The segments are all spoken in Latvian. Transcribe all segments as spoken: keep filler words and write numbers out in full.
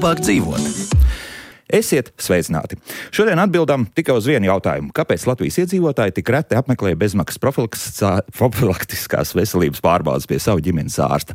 labāk dzīvot. Esiet sveicināti! Šodien atbildam tikai uz vienu jautājumu. Kāpēc Latvijas iedzīvotāji tik reti apmeklē bezmaksas profilaktiskās veselības pārbaudes pie savu ģimenes ārsta?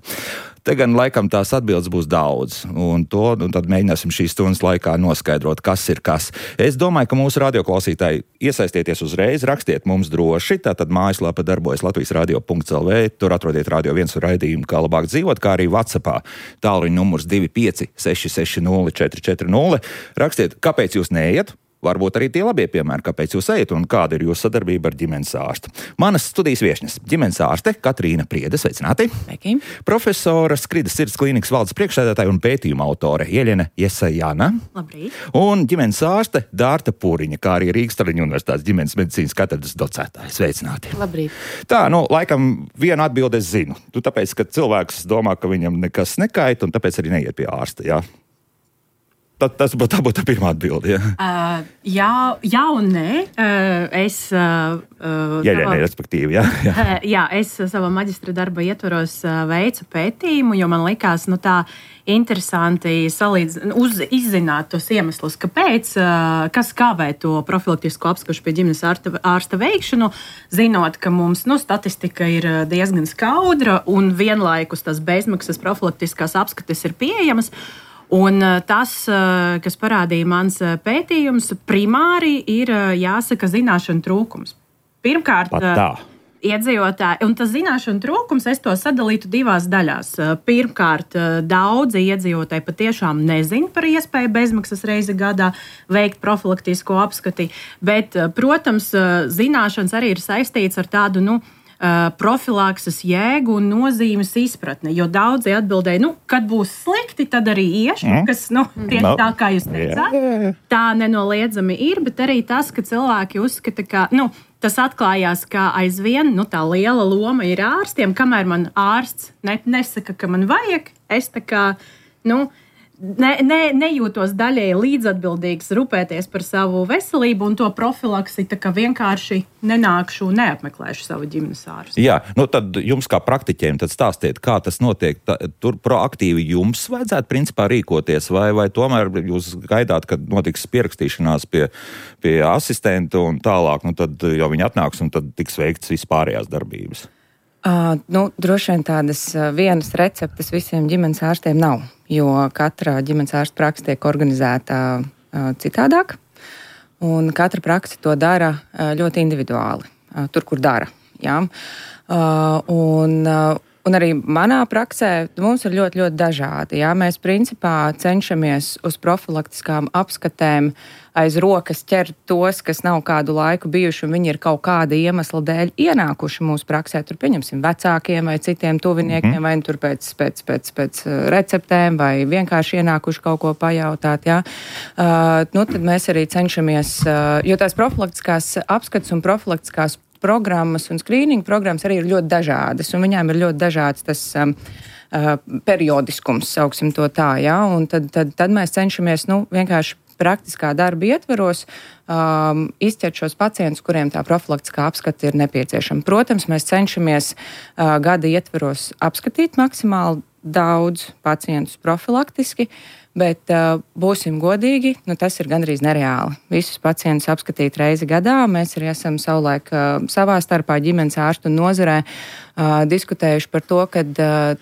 Te gan laikam tās atbildes būs daudz, un to un tad mēģināsim šīs stundas laikā noskaidrot, kas ir kas. Es domāju, ka mūsu radioklausītāji iesaistieties uzreiz, rakstiet mums droši, tātad mājaslapa darbojas latvijas radio punkts el vē, tur atrodiet Radio viens raidījumu, kā labāk dzīvot, kā arī WhatsAppā. Tālruņa numurs divi pieci seši seši nulle četri četri nulle. Rakstiet, kāpēc jūs neiet? Varbūt arī tie labie piemēri, kāpēc jūs ejat un kāda ir jūsu sadarbība ar ģimenes ārstu. Manas studijas viešņas - ģimenes ārste Katrīna Priede, sveicināti. Sveiki. Profesora Skridas sirds klīnikas valdes priekšsēdētāja un pētījuma autore Jeļena Jesajana. Labrīt. Un ģimenes ārste Dārta Pūriņa, kā arī Rīgas Traģiņu universitātes ģimenes medicīnas katedras docētāja. Sveicināti. Labrīt. Tā, nu, laikam vienu atbildi es zinu. Tu tāpēc, ka cilvēks domā, ka viņam nekas nekait, un tāpēc arī neiet pie ārsta, jā? Tā, tas būtu tā, būt tā pirmā atbilde. Ja? Uh, jā, jā un nē. Uh, es, uh, uh, jā, jā, nē, respektīvi. Jā, jā. Uh, jā, es savā maģistra darba ietvaros uh, veicu pētījumu, jo man likās nu, tā interesanti salīdz, uz, izzināt tos iemeslus, kāpēc, uh, kas kavē to profilaktisko apskatu pie ģimenes ārsta, ārsta veikšanu, zinot, ka mums nu, statistika ir diezgan skaudra un vienlaikus tas bezmaksas profilaktiskās apskates ir pieejamas. Un tas, kas parādīja mans pētījums, primāri ir, jāsaka, zināšanu trūkums. Pirmkārt, iedzīvotāji, un tas zināšanu trūkums, es to sadalītu divās daļās. Pirmkārt, daudzi iedzīvotāji patiešām nezin par iespēju bezmaksas reizi gadā veikt profilaktisko apskati, bet, protams, zināšanas arī ir saistīts ar tādu, nu, profilakses jēgu un nozīmes izpratni, jo daudzi atbildēja, nu, kad būs slikti, tad arī iešu, mm. kas, nu, tieši no. tā, kā jūs teicāt. Yeah. Tā nenoliedzami ir, bet arī tas, ka cilvēki uzskata, ka, nu, tas atklājās, ka aizvien, nu, tā liela loma ir ārstiem, kamēr man ārsts ne, nesaka, ka man vajag, es tā kā, nu, Ne, ne, nejūtos daļēji līdzatbildīgs rūpēties par savu veselību un to profilaksi, tā kā vienkārši nenākšu un neapmeklēšu savu ģimenes ārstu. Jā, nu tad jums kā praktiķiem tad stāstiet, kā tas notiek. Tā, tur proaktīvi jums vajadzētu principā rīkoties, vai, vai tomēr jūs gaidāt, kad notiks pierakstīšanās pie, pie asistenta un tālāk, nu tad jau viņi atnāks un tad tiks veikts vispārējās darbības? Uh, nu, droši vien tādas uh, vienas receptes visiem ģimenes ārstiem nav, jo katra ģimenes ārsta praksa tiek organizēta uh, citādāk, un katra praksa to dara uh, ļoti individuāli, uh, tur, kur dara. Jā? Uh, un, uh, un arī manā praksē mums ir ļoti, ļoti dažādi. Jā? Mēs principā cenšamies uz profilaktiskām apskatēm aiz rokas ķert tos, kas nav kādu laiku bijuši, un viņi ir kaut kāda iemesla dēļ ienākuši mūsu praksē. Tur pieņemsim vecākiem vai citiem tuviniekiem, mm-hmm. vai tur pēc, pēc, pēc, pēc receptēm, vai vienkārši ienākuši kaut ko pajautāt. Jā. Uh, nu, tad mēs arī cenšamies, uh, jo tās profilaktiskās apskats un profilaktiskās programmas un skrīninga programmas arī ir ļoti dažādas, un viņām ir ļoti dažāds tas um, uh, periodiskums, sauksim to tā, jā, un tad, tad, tad mēs cenšamies, nu, vienkārši praktiskā darba ietveros um, izķert šos pacientus, kuriem tā profilaktiskā apskata ir nepieciešama. Protams, mēs cenšamies uh, gada ietveros apskatīt maksimāli daudz pacientus profilaktiski, bet uh, būsim godīgi, nu, tas ir gandrīz nereāli. Visus pacientus apskatīt reizi gadā. Mēs arī esam savulaik uh, savā starpā ģimenes ārstu un nozarē uh, diskutējuši par to, kad, uh,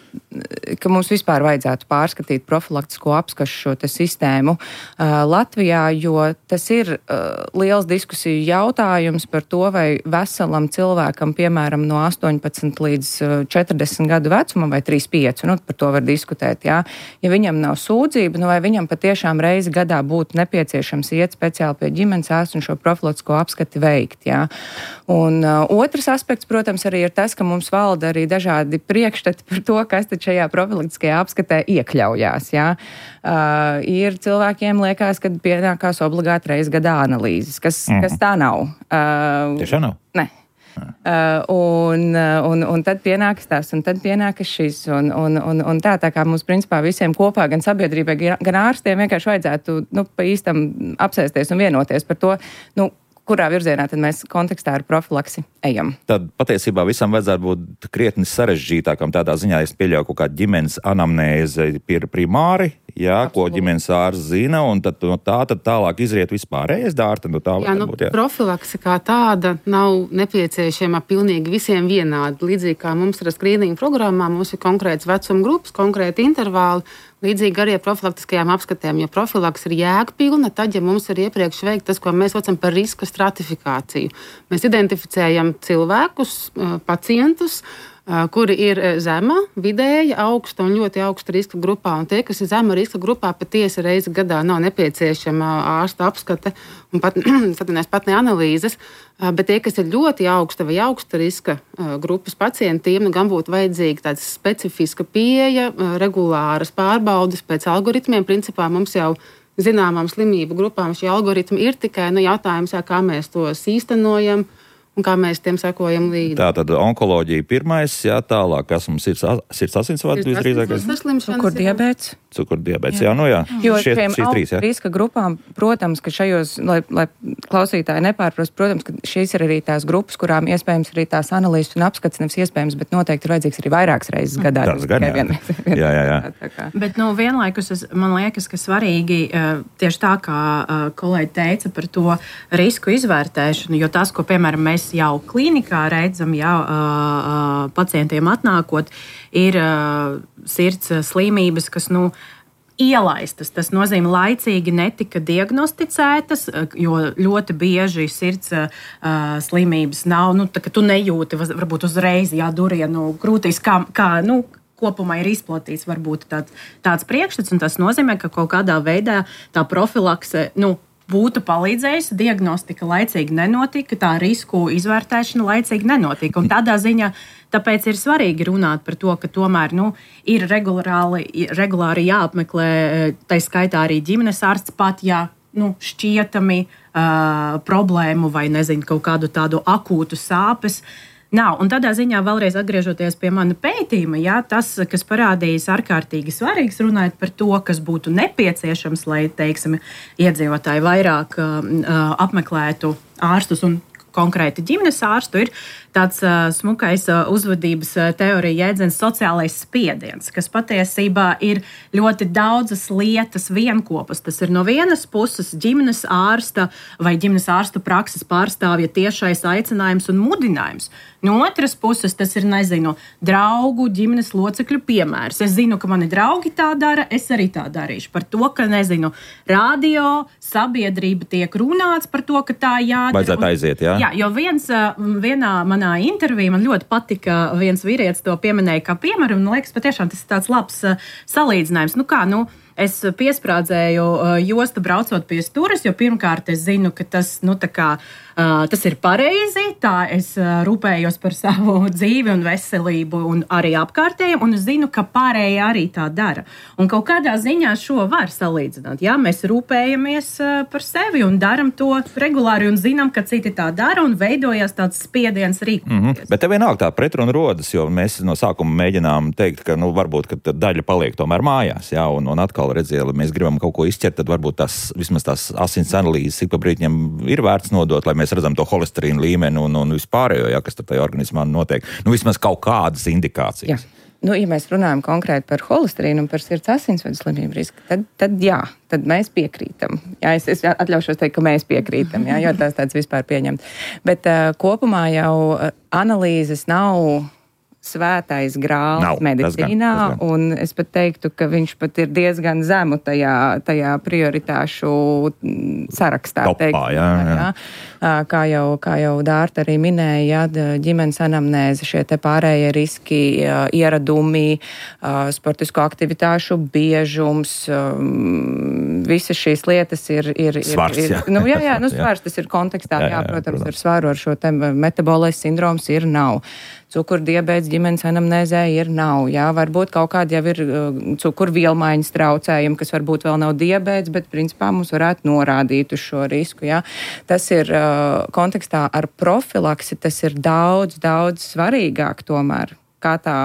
ka mums vispār vajadzētu pārskatīt profilaktisko apskašu šo te sistēmu uh, Latvijā, jo tas ir uh, liels diskusiju jautājums par to, vai veselam cilvēkam, piemēram, no astoņpadsmit līdz četrdesmit gadu vecumam vai trīsdesmit pieci, nu, par to var diskutēt, jā. Ja viņam nav sūdzība, nu, vai viņam patiešām reizi gadā būtu nepieciešams iet speciāli pie ģimenes ārsta un šo profilaktisko apskati veikt, jā. Un uh, otrs aspekts, protams, arī ir tas, ka mums valda arī dažādi priekšstati par to, kas tad šajā profilaktiskajā apskatē iekļaujās, jā. Uh, ir cilvēkiem liekas, ka pienākās obligāti reizi gadā analīzes, kas, mm-hmm. kas tā nav. Uh, Tiešām nav? Ne. Uh, un, un, un tad pienākas tās, un tad pienākas šis, un, un, un, un tā, tā kā mums principā visiem kopā, gan sabiedrībai, gan ārstiem vienkārši vajadzētu, nu, pa īstam apsēsties un vienoties par to, nu, kurā virzienā tad mēs kontekstā ar profilaksi ejam. Tad patiesībā visam vajadzētu būt krietni sarežģītākam tādā ziņā, es pieļauju kaut kādu ģimenes anamnēzi ir primāri Jā, ko ģimenes ārsts zina, un tad no tā tad tālāk izriet vispārējais dārta. No tā jā, nu, būt, jā. Profilakse kā tāda nav nepieciešama pilnīgi visiem vienādi. Līdzīgi kā mums ir skrīninga programmā, mums ir konkrēts vecuma grupas, konkrēti intervāli, līdzīgi arī ar profilaktiskajām apskatēm, jo profilakse ir jēgpilna, tad, ja mums ir iepriekš veikt tas, ko mēs saucam par riska stratifikāciju. Mēs identificējam cilvēkus, pacientus, kuri ir zema, vidēja, augsta un ļoti augsta riska grupā. Un tie, kas ir zema riska grupā, patiesi reizi gadā nav nepieciešama ārsta apskate un pat, pat ne analīzes. Bet tie, kas ir ļoti augsta vai augsta riska grupas pacientiem, nu, gan būtu vajadzīga tāda specifiska pieeja, regulāras pārbaudes pēc algoritmiem. Principā mums jau zināmām slimību grupām šie algoritmi ir tikai nu, jautājums, jā, kā mēs tos īstenojam. Un kā mēs tiem sekojam līdzi. Tā tad onkoloģija pirmais, jā, tālāk, kas mums ir sirds asinsvadu visdrīzākais? Cukurdiabēts. Cukurdiabēts, jā, nu jā. Jo Šie, šiem trīs, riska grupām, protams, ka šajos, lai, lai klausītāji nepārprast, protams, ka šīs ir arī tās grupas, kurām iespējams arī tās analīzes un apskats nevis iespējams, bet noteikti ir vajadzīgs arī vairākas reizes gadā. Tas gan, jā. Vien, vien, jā, jā, jā. Bet, nu, vienlaikus es, man liekas, ka svarīgi tieši tā, kā kolēģi teica par to risku izvērtēšanu, jo tas, ko, piemēram, mēs jau klīnikā redzam, jau uh, pacientiem atnākot, ir uh, sirds slimības, kas, nu, ielaistas. Tas nozīmē, laicīgi netika diagnosticētas, jo ļoti bieži sirds uh, slimības nav, nu, tā, ka tu nejūti, varbūt uzreiz, jā, durienu krūtīs, kā, kā, nu, kopumā ir izplatīts varbūt tāds, tāds priekšstats, un tas nozīmē, ka kaut kādā veidā tā profilakse, nu, būtu palīdzējusi, diagnostika laicīgi nenotika, tā risku izvērtēšana laicīgi nenotika. Un tādā ziņā tāpēc ir svarīgi runāt par to, ka tomēr nu, ir regulāri, regulāri jāapmeklē, tai skaitā arī ģimenes ārsts pat, ja nu, šķietami uh, problēmu vai nezinu, kaut kādu tādu akūtu sāpes nav. Un tādā ziņā vēlreiz atgriežoties pie mana pētījuma, jā, tas, kas parādījās ārkārtīgi svarīgs, runājot par to, kas būtu nepieciešams, lai, teiksim, iedzīvotāji vairāk uh, apmeklētu ārstus un konkrēti ģimenes ārstu, ir tāds uh, smukais uh, uzvedības uh, teorija jēdziens sociālais spiediens, kas patiesībā ir ļoti daudzas lietas vienkopas. Tas ir no vienas puses ģimenes ārsta vai ģimenes ārstu prakses pārstāvja tiešais aicinājums un mudinājums. No otras puses tas ir, nezinu, draugu, ģimenes locekļu piemērs. Es zinu, ka mani draugi tā dara, es arī tā darīšu. Par to, ka, nezinu, radio, sabiedrība tiek runāts par to, ka tā jādara. Vajadzētu aiziet, jā? Jā, jo viens, vienā manā intervijā man ļoti patika, viens vīrietis to pieminēja kā piemēru, un liekas, patiešām tas ir tāds labs salīdzinājums. Nu kā, nu, es piesprādzēju jostu braucot pie stūres, jo pirmkārt es zinu, ka tas, nu, tā kā, tas ir pareizi, tā es rūpējos par savu dzīvi un veselību un arī apkārtējiem, un es zinu, ka pārējie arī tā dara. Un kaut kādā ziņā šo var salīdzināt. Jā, mēs rūpējamies par sevi un daram to regulāri un zinām, ka citi tā dara un veidojās tāds spiediens rīkoties. Mm-hmm. Bet te vienalga tā pretruna rodas, jo mēs no sākuma mēģinām teikt, ka, nu, varbūt, ka daļa paliek tomēr mājās, jā, un, un atkal redziet, ja mēs gribam kaut ko izķert, tad varbūt tās, vismaz tās asins analīzes ik pa brītņiem ir vērts nodot, lai mēs redzam to holesterīnu līmeni un, un vispārējo, jā, kas tad tajā organismā notiek. Nu, vismaz kaut kādas indikācijas. Jā. Nu, ja mēs runājam konkrēti par holesterīnu un par sirds asinsvadu slimību risku, tad, tad jā, tad mēs piekrītam. Jā, es, es atļaušos teikt, ka mēs piekrītam, jā, jo tās tāds vispār pieņemt. Bet uh, kopumā jau analīzes nav svētais grāls nav, medicīnā, tas gan, tas gan. Un es pat teiktu, ka viņš pat ir diezgan zemu tajā, tajā prioritāšu sarakstā. Topā, teikt, jā, jā. Jā. Kā jau, kā jau Dārta arī minēja, jā, ģimenes anamnēze, šie te pārējie riski, ieradumi, sportisko aktivitāšu biežums, visas šīs lietas ir... ir, svars, ir, jā. ir nu, jā, jā, nu, svars, tas ir kontekstā, jā, jā, jā, protams, protams, ar svaru ar šo te metabolais sindroms ir nav. Cukurdiabēts ģimenes anamnēzē ir nav. Jā, varbūt kaut kādi jau ir uh, cukurvielmaiņas traucējumi, kas varbūt vēl nav diabēts, bet principā mums varētu norādīt uz šo risku. Jā. Tas ir uh, kontekstā ar profilaksi, tas ir daudz, daudz svarīgāk tomēr, kā tā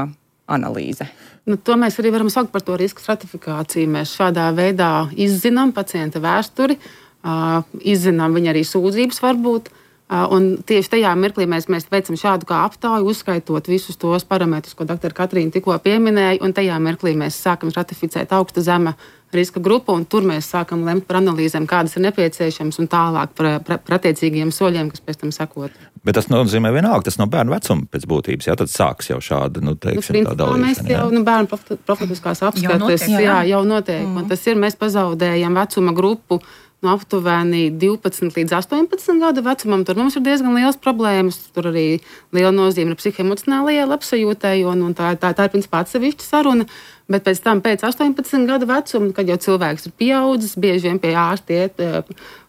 analīze. Nu, to mēs arī varam saukt par to risku stratifikāciju. Mēs šādā veidā izzinām pacienta vēsturi, uh, izzinām viņa arī sūdzības varbūt, Un tieši tajā mirklī mēs, mēs veicam šādu kā aptauju, uzskaitot visus tos parametrus, ko doktora Katrīna tikko pieminēja, un tajā mirklī mēs sākam stratificēt augsta zema riska grupu, un tur mēs sākam lemt par analīzēm, kādas ir nepieciešamas, un tālāk par, par, par attiecīgiem soļiem, kas pēc tam sekot. Bet tas nozīmē vienalga, tas no bērnu vecuma pēc būtības, jā, tad sāks jau šāda, nu, teiksim, nu, tā dalīšana. Mēs jau, nu, bērnu profilaktiskās apskates, jā, jā, jau notiek, mm. un tas ir, mēs pazaudējam vecuma grupu no aptuveni divpadsmit līdz astoņpadsmit gadu vecumam. Tur mums ir diezgan liels problēmas. Tur arī liela nozīme ir psihoemocionālajai labsajūtai, un, un tā, tā, tā ir principā atsevišķa saruna. Bet pēc tam, pēc astoņpadsmit gadu vecuma, kad jau cilvēks ir pieaudzis, bieži vien pie ārsta iet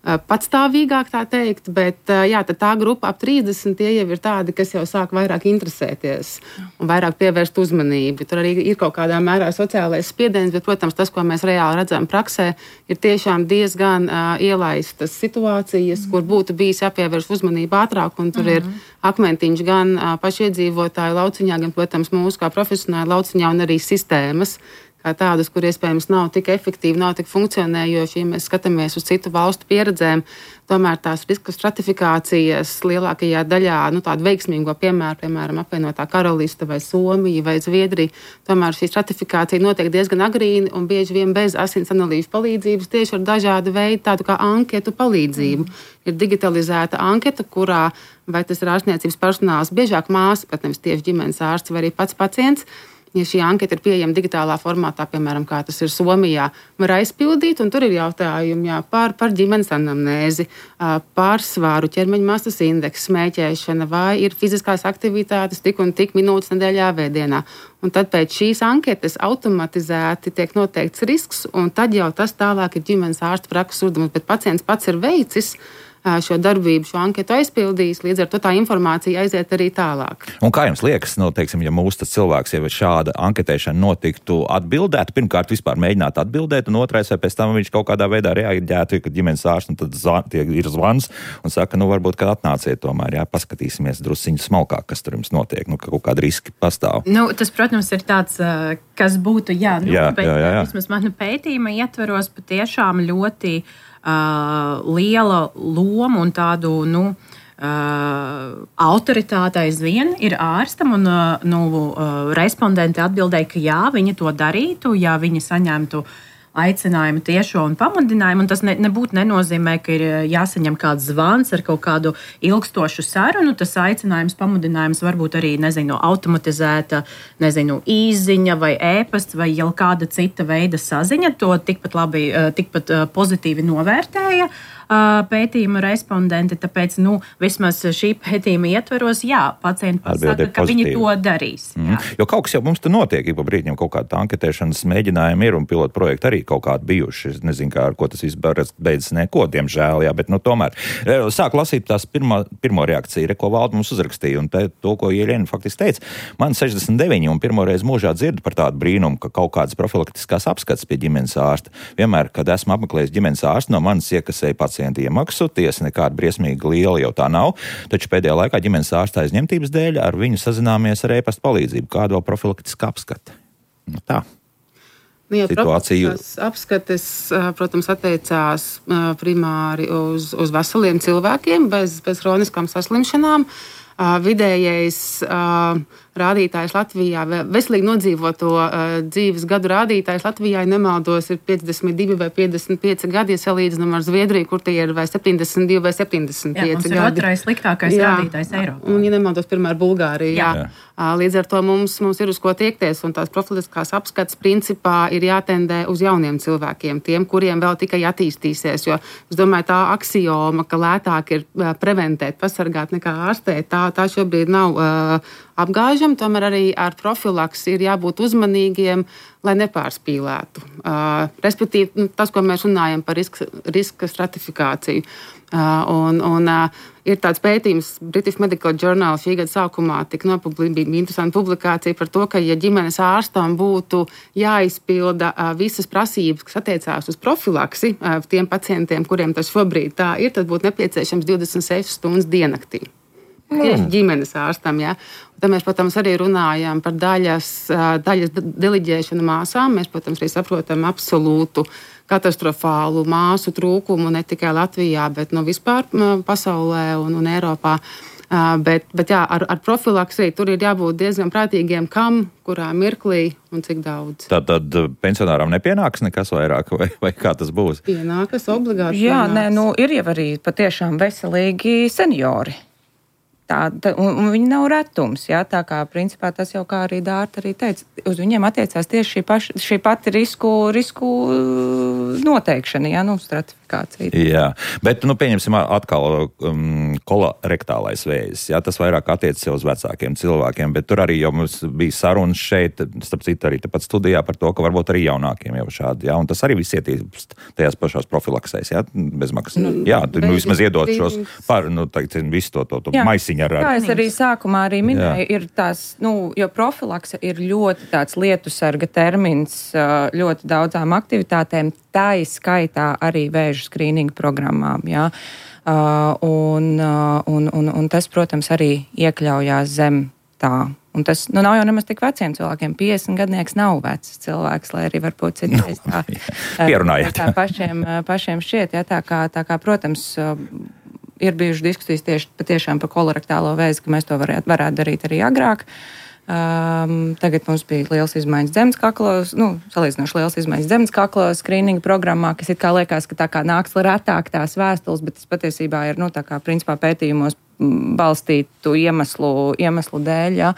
patstāvīgāk, tā teikt, bet jā, tā grupa ap trīsdesmit tie jau ir tādi, kas jau sāk vairāk interesēties un vairāk pievērst uzmanību. Tur arī ir kaut kādā mērā sociālais spiediens, bet, protams, tas, ko mēs reāli redzam praksē, ir tiešām diezgan uh, ielaistas situācijas, mm. kur būtu bijis jāpievērš uzmanību ātrāk, un tur mm. ir akmentiņš gan uh, pašiedzīvotāju lauciņā, gan, protams, mūsu kā profesionāli lauciņā un arī sistēmas, kā tādas, kur iespējams nav tik efektīvi, nav tik funkcionējoši, ja mēs skatāmies uz citu valstu pieredzēm, tomēr tās riska stratifikācijas lielākajā daļā, nu tādu veiksmīgo piemēru, piemēram, apvienotā Karaliste vai Somija vai Zviedrija, tomēr šī stratifikācija notiek diezgan agrīni un bieži vien bez asins analīžu palīdzības, tieši ar dažādu veidu tādu kā anketu palīdzību. Mm. Ir digitalizēta anketa, kurā vai tas ir ārstniecības personāls, biežāk māsa, pat nevis tieši ģimenes ārsts vai arī pats pacients. Ja šī anketa ir pieejama digitālā formātā, piemēram, kā tas ir Somijā, var aizpildīt, un tur ir jautājumi jā, par, par ģimenes anamnēzi, par svāru, ķermeņa masas indeksu, smēķēšana, vai ir fiziskās aktivitātes tik un tik minūtes nedēļā vēdienā. Un tad pēc šīs anketas automatizēti tiek noteikts risks, un tad jau tas tālāk ir ģimenes ārsta prakses uzdevums, bet pacients pats ir veicis šo darbību, šo anketu aizpildījis, līdz ar to tā informācija aiziet arī tālāk. Un kā jums liekas, nu, teiksim, ja mūsu tas cilvēks jau šāda anketēšana notiktu atbildēt, pirmkārt vispār mēģināt atbildēt, un otrais, vai pēc tam viņš kaut kādā veidā reaģētu, kad ģimenes ārsts, un tad zvan, ir zvans un saka, nu varbūt, kad atnāciet tomēr, jā, paskatīsimies drusciņu smalkāk, kas tur jums notiek, nu, ka kaut kādi riski pastāv. Nu, tas, protams, ir tāds, kas būtu, jā, nu, jā, bet jā, jā, jā. vismaz mana pētījuma ietveros patiešām ļoti Uh, liela loma un tādu, nu, uh, autoritāte aizvien ir ārstam, un uh, nu, uh, respondenti atbildēja, ka jā, viņi to darītu, ja viņi saņemtu aicinājumu tiešo un pamudinājumu, un tas ne, nebūtu nenozīmē, ka ir jāsaņem kāds zvans ar kaut kādu ilgstošu sarunu. Tas aicinājums, pamudinājums varbūt arī, nezinu, automatizēta, nezinu, īziņa vai ēpasts vai jau kāda cita veida saziņa. To tikpat labi, tikpat pozitīvi novērtēja pētījuma respondenti, tāpēc, nu, vismaz šī pētījuma ietveros, jā, pacienti pasaka, ka viņi to darīs. Mm. Jo kaut kas jau mums te notiek, ik pa brīdim kaut kāda anketēšanas mēģinājumi ir un pilotu projekti arī kaut kādi bijuši. Es nezinu, kā ar ko tas viss beidzas, neko, diemžēl, jā, bet, nu, tomēr. Sāk lasīt tās pirmā, pirmo reakciju, re, ko Valda mums uzrakstīja, un te, to, ko Ielena faktiski teica. Man sešdesmit deviņi un pirmo reizi mūžā dzirdu par tādu brīnumu, ka kaut kādas profilaktiskās apskates pie ģimenes ārsta. Vienmēr, kad esmu apmeklējis ģimenes ārstu, no manis iekasēja pacienti iemaksu, tiesa nekāda briesmīga liela jau tā nav, taču pēdējā laikā ģimenes ārsta aizņemtības dēļ ar viņu sazināmies ar e-pasta palīdzību. Kāda vēl profilaktiska apskate? Nu, tā. Nu, ja profilaktiskās apskates, protams, attiecās primāri uz, uz veseliem cilvēkiem bez, bez hroniskām saslimšanām. Vidējais rādītājs Latvijā, veselīgi nodzīvoto dzīves gadu rādītājs Latvijā, ja nemaldos, ir piecdesmit divi vai piecdesmit pieci gadi, ja salīdzinām ar Zviedriju, kur tie ir vai septiņdesmit divi vai septiņdesmit pieci gadi. Jā, mums ir otrais sliktākais jā, rādītājs Eiropā. Un, ja nemaldos, pirmā ir Bulgārija. Jā. Jā. Līdz ar to mums, mums ir uz ko tiekties, un tās profilaktiskās apskates principā ir jātendē uz jauniem cilvēkiem, tiem, kuriem vēl tikai attīstīsies, jo es domāju, tā aksioma, ka lētāk ir preventēt, pasargāt nekā ārstēt, tā, tā šobrīd nav uh, apgāžama, tomēr arī ar profilaksi ir jābūt uzmanīgiem, lai nepārspīlētu. Uh, respektīvi, nu, tas, ko mēs runājam par riska, riska stratifikāciju. Uh, un, un, uh, ir tāds pētījums British Medical Journal šī gada sākumā tika nopublicēta interesanta publikācija par to, ka, ja ģimenes ārstam būtu jāizpilda uh, visas prasības, kas attiecās uz profilaksi uh, tiem pacientiem, kuriem tas šobrīd tā ir, tad būtu nepieciešams divdesmit sešas stundas diennaktī. Tieši mm. ģimenes ārstam, jā. Un tad mēs, protams, arī runājam par daļas, daļas deliģēšanu māsām. Mēs, protams, arī saprotam absolūtu katastrofālu māsu trūkumu ne tikai Latvijā, bet no vispār pasaulē un, un Eiropā. Uh, bet, bet jā, ar, ar profilaksiju tur ir jābūt diezgan prātīgiem, kam, kurā mirklī un cik daudz. Tad, tad pensionāram nepienāks nekas vairāk, vai, vai kā tas būs? Pienākas obligāti. Jā, pienāks. nē, nu ir jau arī patiešām veselīgi seniori. Tā, tā, un, un viņi nav retums, jā, tā kā principā tas jau kā arī Dārta arī teica, uz viņiem attiecās tieši šī, paš, šī pati risku, risku noteikšana, jā, nu, stratifikācija. Jā, bet, nu, pieņemsim atkal um, kolorektālais vēzis, jā, tas vairāk attiecas jau uz vecākiem cilvēkiem, bet tur arī jau mums bija sarunas šeit, starp citu arī tepat studijā par to, ka varbūt arī jaunākiem jau šādi, jā, un tas arī viss ietīst tajās pašās profilaksēs, jā, bezmaksas. Nu, jā, nu, vismaz iedot šos par, nu, tagad, visu to, to, to maisiņu. Ar, ar... Kā es arī sākumā arī minēju, jā. Ir tās, nu, jo profilakse ir ļoti tāds lietusarga termins ļoti daudzām aktivitātēm, tā izskaitā arī vēža skrīninga programmām, jā. Uh, un, uh, un, un, un tas, protams, arī iekļaujās zem tā. Un tas nu, nav jau nemaz tik veciem cilvēkiem. piecdesmit gadnieks nav vecs cilvēks, lai arī varbūt citreiz tā, pierunājiet. tā pašiem, pašiem šķiet. Jā, tā, kā, tā kā, protams, ir bijušas diskusijas tieši patiešām par kolorektālo vēzi, ka mēs to varētu, varētu darīt arī agrāk. Um, tagad mums bija liels izmaiņas zemes kaklos, nu, salīdzinoši liels izmaiņas zemes kaklos skrīninga programmā, kas it kā liekas, ka tā kā nāks retāk tās vēstules, bet tas patiesībā ir, nu, tā kā principā pētījumos balstītu iemeslu, iemeslu dēļ. Ja.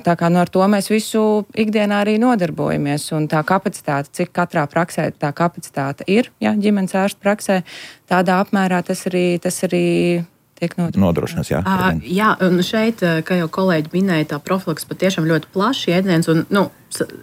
Tā kā nu, ar to mēs visu ikdienā arī nodarbojamies. Un tā kapacitāte, cik katrā praksē tā kapacitāte ir, ja, ģimenes ārsta praksē, tādā apmērā tas arī, tas arī tiek nodrošināts. Jā, uh, jā, un šeit, kā jau kolēģi minēja, tā profilaks patiešām ļoti plašs jēdziens un, nu,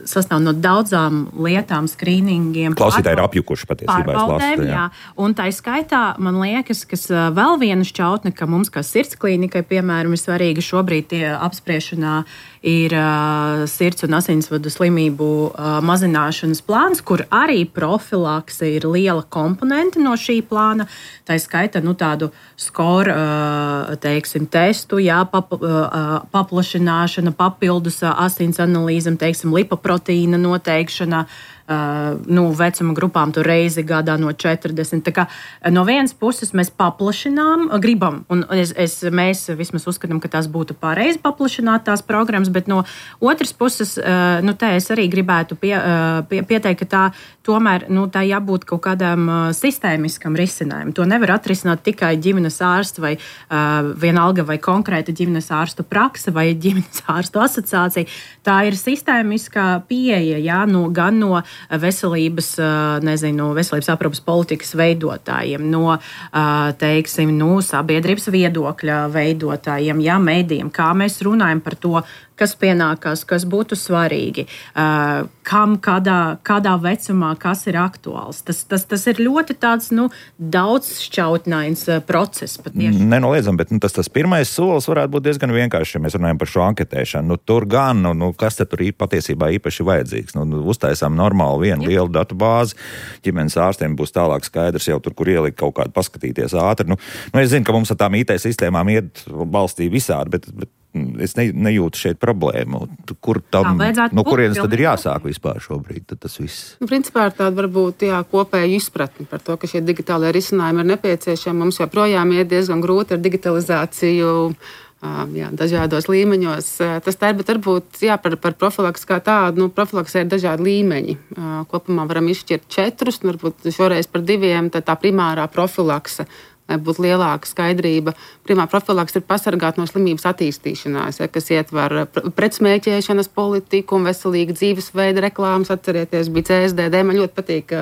sastāv no daudzām lietām, skrīningiem. Klausītāji ir apjukuši patiesībā. Pārbaudēm, jā. jā. Un tā skaitā, man liekas, kas vēl viena šķautne, ka mums kā sirds klīnikai, piemēram, ir svarīga šobrīd tie apspriešanā ir uh, sirds un asinsvadu slimību uh, mazināšanas plāns, kur arī profilakse ir liela komponente no šī plāna. Tā skaitā, nu, tādu skoru, uh, teiksim, testu, jā, pap, uh, paplašināšana, papildus uh, asins analīzam, teiksim, lipoproteīna noteikšana, uh, nu, vecuma grupām tur reizi gadā no četrdesmit. Tā kā no vienas puses mēs paplašinām, gribam, un es, es, mēs vismaz uzskatām, ka tās būtu pareizi paplašināt tās programmas, bet no otras puses, uh, nu, te es arī gribētu pie, uh, pie, pieteikt, ka tā tomēr, nu, tā jābūt kaut kādam uh, sistēmiskam risinājumam. To nevar atrisināt tikai ģimenes ārsts vai uh, vienalga vai konkrēta ģimenes ārstu prakse vai ģimenes ārstu asociācija. Tā ir sistēmiskā pieeja, jā, no, gan no veselības, nezinu, veselības aprūpes politikas veidotājiem, no, teiksim, no sabiedrības viedokļa veidotājiem, jā, mēdījiem, kā mēs runājam par to, kas pienākās, kas būtu svarīgi, uh, kam, kādā, kādā vecumā, kas ir aktuāls. Tas, tas, tas ir ļoti tāds, nu, daudzšķautnains uh, process patiešām. Nenoliedzam, bet nu, tas, tas pirmais solis varētu būt diezgan vienkārši, ja mēs runājam par šo anketēšanu. Nu, tur gan, nu, nu, kas te tur patiesībā īpaši vajadzīgs? Nu, nu, uztaisām normālu vienu lielu datu bāzi, ģimenes ārstiem būs tālāk skaidrs jau tur, kur ielikt kaut kādu paskatīties ātri. Nu, nu, es zinu, ka mums ar tām I T sistēmām iet balstī visādi, bet, bet es ne, nejūtu šeit problēmu. Kur tam, no kurienes tad ir jāsāk vispār šobrīd? Tad tas viss. Nu, principā ir tāda varbūt jā, kopēja izpratne par to, ka šie digitālie risinājumi ir nepieciešami. Mums joprojām iet diezgan grūti ar digitalizāciju jā, dažādos līmeņos. Tas tā ir, bet varbūt jā, par, par profilaks kā tādu. Nu, profilaksē ir dažādi līmeņi. Kopumā varam izšķirt četrus, varbūt šoreiz par diviem. Tad tā primārā profilakse, lai būtu lielāka skaidrība. Primā profilaks ir pasargāt no slimības attīstīšanās, ja, kas ietver pretsmēķēšanas politiku un veselīgu dzīvesveidu reklāmas. Atcerieties, bija C S D D. Man ļoti patīk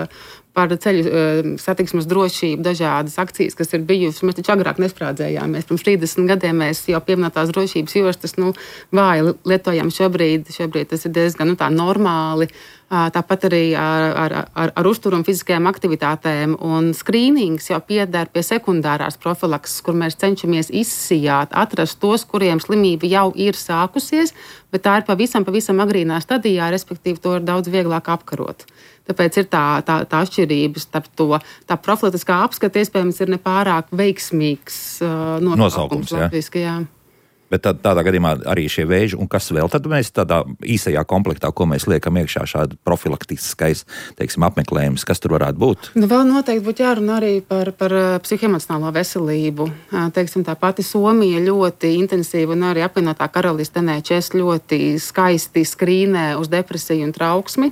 par ceļu satiksmes drošību dažādas akcijas, kas ir bijušas. Mēs taču agrāk nesprādzējāmies. Pirms trīsdesmit gadiem mēs jau pieminētās drošības jostas nu, vāji lietojam šobrīd. Šobrīd tas ir diezgan nu, tā normāli. Tāpat arī ar, ar, ar, ar uzturu un fiziskajām aktivitātēm. Un skrīnings jau pieder pie sekundārās profilakses, kur mēs cenšamies izsijāt, atrast tos, kuriem slimība jau ir sākusies, bet tā ir pavisam, pavisam agrīnā stadijā, respektīvi to ir daudz vieglāk apkarot. Tāpēc ir tā, tā, tā atšķirība starp to. Tā profilaktiskā apskata iespējams ir nepārāk veiksmīgs uh, nosaukums. Latviski, jā. Bet tad, tādā gadījumā arī šie vēži, un kas vēl tad mēs tādā īsajā komplektā, ko mēs liekam iekšā, šāda profilaktiskais, teiksim, apmeklējums, kas tur varētu būt? Nu, vēl noteikti būtu jārunā arī par, par psihoemocionālo veselību. Teiksim, tā pati Somija ļoti intensīva un arī apvienotā karaliste N H S ļoti skaisti skrīnē uz depresiju un trauksmi.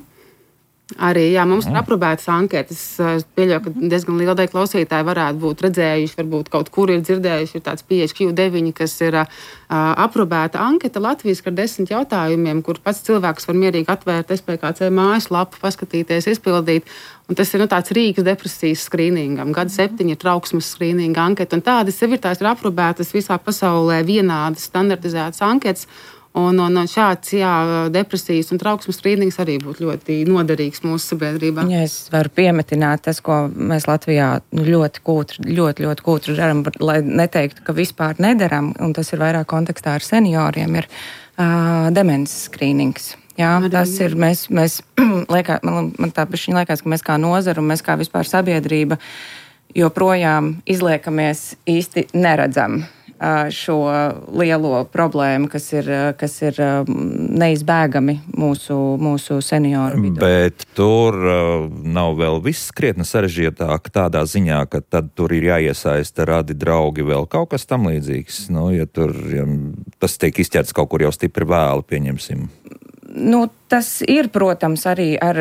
Arī jā, mums ir aprobētas anketas. Es pieļauju, ka diezgan liela daļa klausītāji varētu būt redzējuši, varbūt kaut kur ir dzirdējuši, ir tāds P H Q deviņi, kas ir uh, aprobēta anketa Latvijas ar desmit jautājumiem, kur pats cilvēks var mierīgi atvērt S P K C mājaslapu, paskatīties, izpildīt. Un tas ir nu, tāds rīks depresijas skrīningam, gada septiņi ir trauksmes skrīninga anketa. Un tādas sev ir tās ir aprobētas visā pasaulē vienādas, standartizētas anketas. Un, un, un šāds jā, depresijas un trauksmes skrīnings arī būtu ļoti noderīgs mūsu sabiedrībā. Ja es varu piemetināt tas, ko mēs Latvijā ļoti kūtri, ļoti, ļoti kūtri darām, lai neteiktu, ka vispār nedaram, un tas ir vairāk kontekstā ar senioriem, ir uh, demences skrīnings. Jā, arī, tas ir, mēs, mēs liekā, man, man tā pišķiņ liekas, ka mēs kā nozara un mēs kā vispār sabiedrība joprojām izliekamies īsti neredzam šo lielo problēmu, kas ir, kas ir neizbēgami mūsu, mūsu senioru vidū. Bet tur uh, nav vēl viss krietni sarežģītāk tādā ziņā, ka tad tur ir jāiesaista radi draugi vēl kaut kas tam līdzīgs. Nu, ja tur ja tas tiek izķerts kaut kur jau stipri vēlu, pieņemsim. Nu, tas ir, protams, arī ar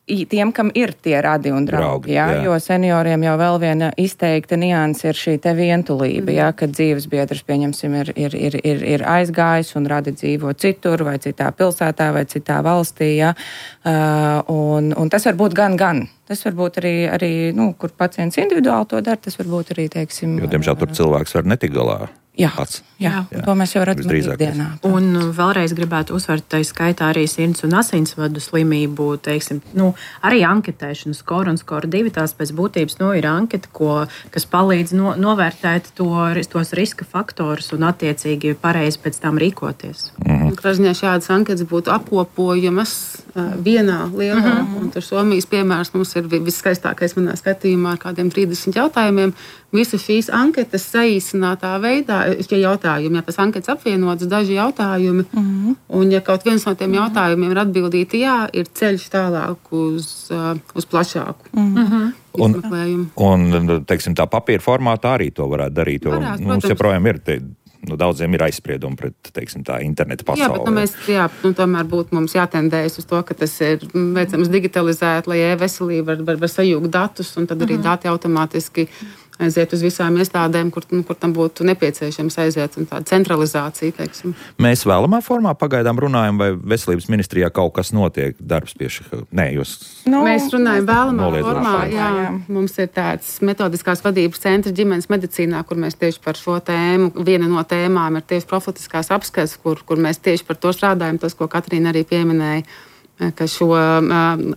tiem, kam ir tie radi un draugi, draugi jā, jā. Jo senioriem jau vēl viena izteikta nianse ir šī te vientulība, mm. jā, kad dzīvesbiedrs, pieņemsim, ir, ir, ir, ir, ir aizgājis un radi dzīvo citur vai citā pilsētā vai citā valstī, jā, uh, un, un tas var būt gan, gan. Tas var būt arī, arī nu, kur pacients individuāli to dara, tas var būt arī, teiksim... Jo, diemžēl, tur cilvēks var netikt galā. Jā, jā, jā, to mēs jau redzam ikdienā. Un vēlreiz gribētu uzsvērt, tai skaitā arī sirds un asinsvadu slimību, teiksim, nu, arī anketēšana, skor un skor divi, tās pēc būtības, nu, ir anketa, ko, kas palīdz no, novērtēt to, tos riska faktorus un attiecīgi pareizi pēc tam rīkoties. Mhm. Kražņā šādas anketas būtu apkopojamas uh, vienā lielā, mhm. un tur Somijas piemērs mums ir viskaistākais manā skatījumā ar kādiem trīsdesmit jautājumiem. Visas šīs anketas saīsinātā veidā, šie jautājumi, ja tas anketas apvienotas, daži jautājumi, mm-hmm. un ja kaut viens no tiem jautājumiem ir atbildīti jā, ir ceļš tālāk uz, uh, uz plašāku mm-hmm. izmeklējumu. Un, un, teiksim, tā papīra formātā arī to varētu darīt, jo Varētu, mums joprojām ir... Te, Nu, daudziem ir aizspriedumi pret, teiksim, tā interneta pasauli. Jā, bet nu, mēs, jā, nu, tomēr būtu mums jātendējas uz to, ka tas ir veicams digitalizēt, lai e-veselība var, var, var sajūgt datus, un tad arī mm-hmm. dati automātiski aiziet uz visām iestādēm, kur, nu, kur tam būtu nepieciešams aiziet, un tāda centralizācija, teiksim. Mēs vēlamā formā pagaidām runājam, vai veselības ministrijā kaut kas notiek darbs pie šī? Nē, jūs... Nu, mēs runājam vēlamā formā, jā, jā. Mums ir tāds metodiskās vadības centrs ģimenes medicīnā, kur mēs tieši par šo tēmu, viena no tēmām ir tieši profilaktiskās apskates, kur, kur mēs tieši par to strādājam, tas, ko Katrīna arī pieminēja, ka šo uh,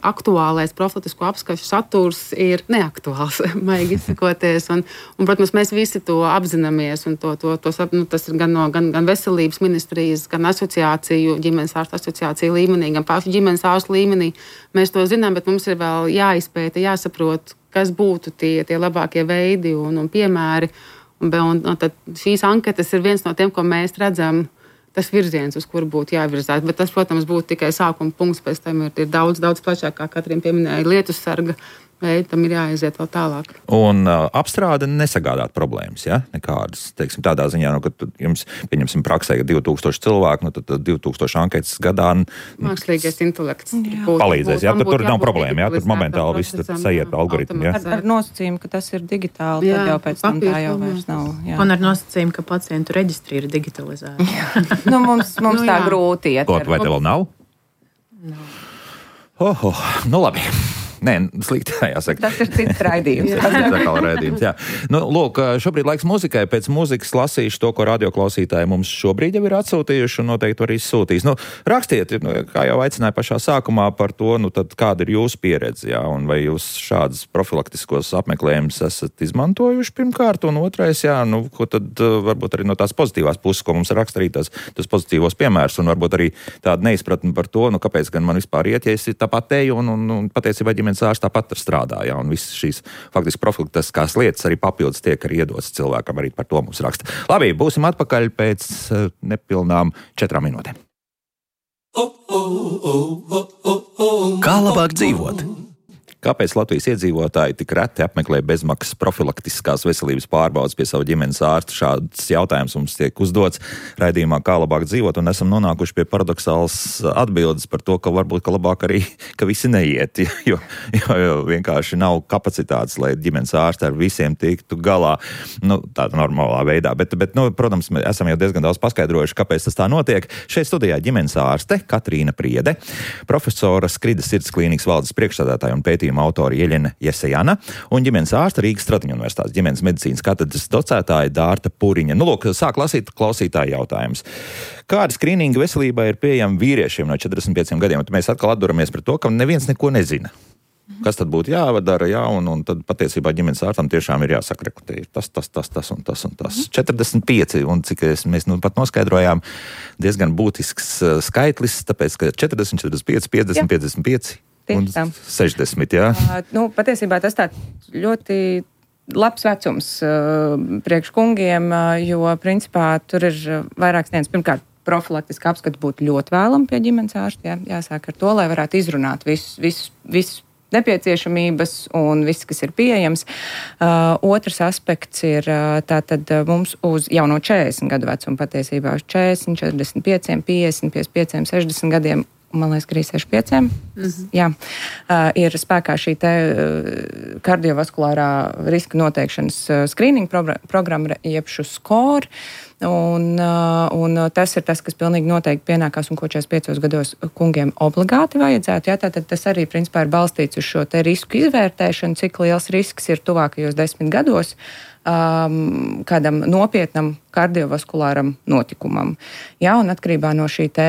aktuālais profilaktisko apskašu saturs ir neaktuāls, maigi izsakoties. Un, un, protams, mēs visi to apzināmies, un to, to, to, nu, tas ir gan no gan, gan veselības ministrijas, gan asociāciju, ģimenes ārstu asociāciju līmenī, gan pašu ģimenes ārstu līmenī. Mēs to zinām, bet mums ir vēl jāizpēta, jāsaprot, kas būtu tie, tie labākie veidi un, un piemēri. Un, un, un tad šīs anketas ir viens no tiem, ko mēs redzam, tas virziens, uz kuru būtu jāvirzās. Bet tas, protams, būtu tikai sākuma punkts, pēc tam ir, ir daudz, daudz plašāk, kā Katrīna pieminēja, lietu sarga veidi, tam ir jāaiziet vēl tālāk. Un uh, apstrāde nesagādāt problēmas, ja? Nekādas, teiksim, tādā ziņā, nu, ka jums, pieņemsim, praksē, ka divi tūkstoši cilvēku, nu, tad, tad divi tūkstoši anketas gadā... Mākslīgais intelekts. Būt, palīdzēs, ja? Tad tur nav problēma, ja? Tur momentāli viss sajiet algoritmi, ja? Ar, ar nosacījumu, ka tas ir digitāli, jā, tad jau pēc tam tā jau vairs nav. Jā. Un ar nosacījumu, ka pacientu reģistri ir digitalizēti. nu, mums mums nu, tā grūti iet. Kaut vai te vēl nav? Nav. Oh, oh, nu labi. Nē, slikti, jāsaka. Tas ir cits raidījums. Tas ir atkal raidījums, jā. Nu, lūk, šobrīd laiks muzikai. Pēc muzikas lasīšu to, ko radioklausītāji mums šobrīd jau ir atsūtījuši un noteikti arī sūtīs. Nu, rakstiet, kā jau aicināju pašā sākumā par to, nu, tad kāda ir jūsu pieredze, jā, un vai jūs šādas profilaktiskos apmeklējumus esat izmantojuši pirmkārt, un otrais, jā, nu, ko tad varbūt arī no tās pozitīvās puses, ko mums raksta arī tās, tas pozitīvos piemērs, un varbūt arī tāda neizpratne par to, nu, kāpēc gan man vispār iet, ja es tāpat teju, un, un, un patiesībā ģimenes ģimenes ārsts tāpat strādā, ja, un visas šīs faktiski profilaktiskās lietas arī papildus tiek arī iedotas cilvēkam, arī par to mums raksta. Labi, būsim atpakaļ pēc nepilnām četrām minūtēm. Kā labāk dzīvot? Kāpēc Latvijas iedzīvotāji tik reti apmeklē bezmaksas profilaktiskās veselības pārbaudes pie sava ģimenes ārsta? Šāds jautājums mums tiek uzdots raidījumā Kā labāk dzīvot, un esam nonākuši pie paradoxālas atbildes par to, ka varbūt ka labāk arī, ka visi neiet, jo, jo, jo vienkārši nav kapacitātes, lai ģimenes ārsti ar visiem tiktu galā, nu, tādā normālā veidā. Bet, bet nu, protams, mēs esam jau diezgan daudz paskaidrojuši, kāpēc tas tā notiek. Šeit studijā ģimenes ārste Katrīna Priede, profesora Skridas sirds klīnikas valdes priekšsēdētāja un pētījuma autori Jeļena Jesejana un ģimenes ārsta Rīgas Stradiņu universitātes ģimenes medicīnas katedras docētāja Dārta Puriņa. Nu, lūk, sāk lasīt klausītāju jautājums. Kādi skrīningi veselībā ir pieejami vīriešiem no četrdesmit pieciem gadiem? Un mēs atkal atduramies par to, ka neviens neko nezina. Kas tad būtu jāvadara, jā, un, un tad patiesībā ģimenes ārstam tiešām ir jāsaka, ka ir tas, tas, tas, tas un tas un tas. četrdesmit pieci, un cik es, mēs nu pat noskaidrojām, diezgan būtisks skaitlis, tāpēc, ka četrdesmit, četrdesmit pieci, piecdesmit, jā. piecdesmit pieci un sešdesmit, jā. Uh, nu, patiesībā tas tāds ļoti labs vecums uh, priekš kungiem, uh, jo principā tur ir vairākas dienas. Pirmkārt, profilaktiska apskata būtu ļoti vēlama pie ģimenes ārsta, jā, jāsāk ar to, lai varētu izrunāt visus, visus, visus nepieciešamības un viss, kas ir pieejams. Uh, otrs aspekts ir uh, tātad uh, mums uz jau no četrdesmit gadu vecuma patiesībā uz četrdesmit, četrdesmit pieci, piecdesmit, piecdesmit pieci, sešdesmit gadiem, man liekas, ka arī sešdesmit pieci. Mm-hmm. Jā, uh, ir spēkā šī te uh, kardiovaskulārā riska noteikšanas uh, skrīninga progr- programma, jeb šo skor. Un, uh, un tas ir tas, kas pilnīgi noteikti pienākās un ko četrdesmit piecos gados kungiem obligāti vajadzētu. Jā, tātad tas arī principā ir balstīts uz šo te risku izvērtēšanu, cik liels risks ir tuvākajos desmit gados um, kādam nopietnam kardiovaskulāram notikumam. Jā, un atkarībā no šī te,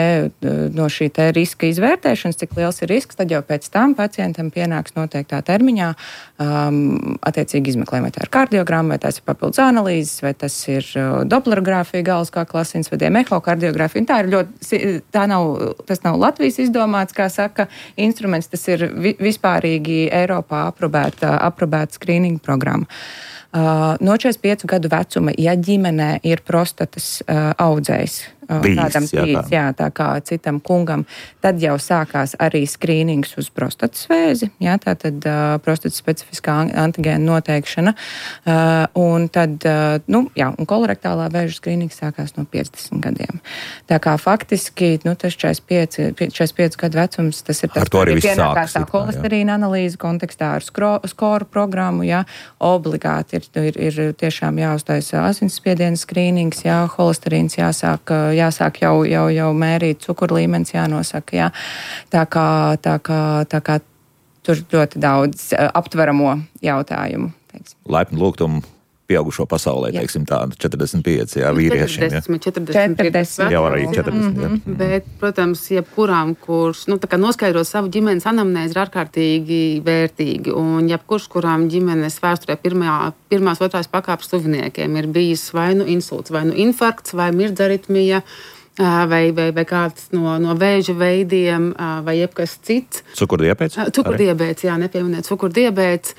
no šī te riska izvērtēšanas, cik liels ir risks, tad jau pēc tam pacientam pienāks noteiktā termiņā um, attiecīgi izmeklējumi, vai tā ir kardiogramma, vai tas ir papildus analīzes, vai tas ir uh, doplerogrāfija, galvas kā klasinsvadiem, ehokardiogrāfija. Tā ir ļoti, tā nav, tas nav Latvijas izdomāts, kā saka, instruments, tas ir vi, vispārīgi Eiropā aprobēta, aprobēta skrīninga programma. Uh, no četrdesmit piecu gadu vecuma, ja ģimenē ir prostatas uh, audzējs, uh, Bijis, tādam jā, trīs, jā, tā kā citam kungam, tad jau sākās arī skrīnings uz prostatas vēzi, jā, tā tad uh, prostatas specifiskā antigēna noteikšana, uh, un tad, uh, nu, jā, un kolorektālā vēža skrīnings sākās no piecdesmit gadiem. Tā kā faktiski, nu, tas četrdesmit pieci gadu vecums, tas ir tas, ar to arī viss pienākās sākas, tā holesterīna analīze kontekstā ar skro, skoru programmu, jā, obligāti ir Ir, ir tiešām jāuztaisa asinsspiediena skrīnings, jā, holesterīns jāsāk, jāsāk jau, jau, jau mērīt, cukuru līmenis jānosaka, jā. Tā kā, tā kā, tā kā tur ļoti daudz aptveramo jautājumu. Teiksim. Laipni lūgtumu pieaugušo pasaulē, jā. Teiksim tā, četrdesmit pieci, jā, vīriešiem. četrdesmit, četrdesmit, četrdesmit. Jau arī četrdesmit, jā. Mm-hmm. Bet, protams, jebkurām, kurš, nu, tā kā noskaidrot savu ģimenes anamnēzi ir ārkārtīgi vērtīgi, un jebkurš, kurām ģimenes vēsturē pirmā, pirmās, otrās pakāpes tuviniekiem ir bijis vai nu insults, vai nu infarkts, vai mirdzaritmija, vai, vai, vai kāds no, no vēža veidiem, vai jebkas cits. Cukurdiabēts? Cukurdiabēts, jā, nepieminēt cukurdiabēts.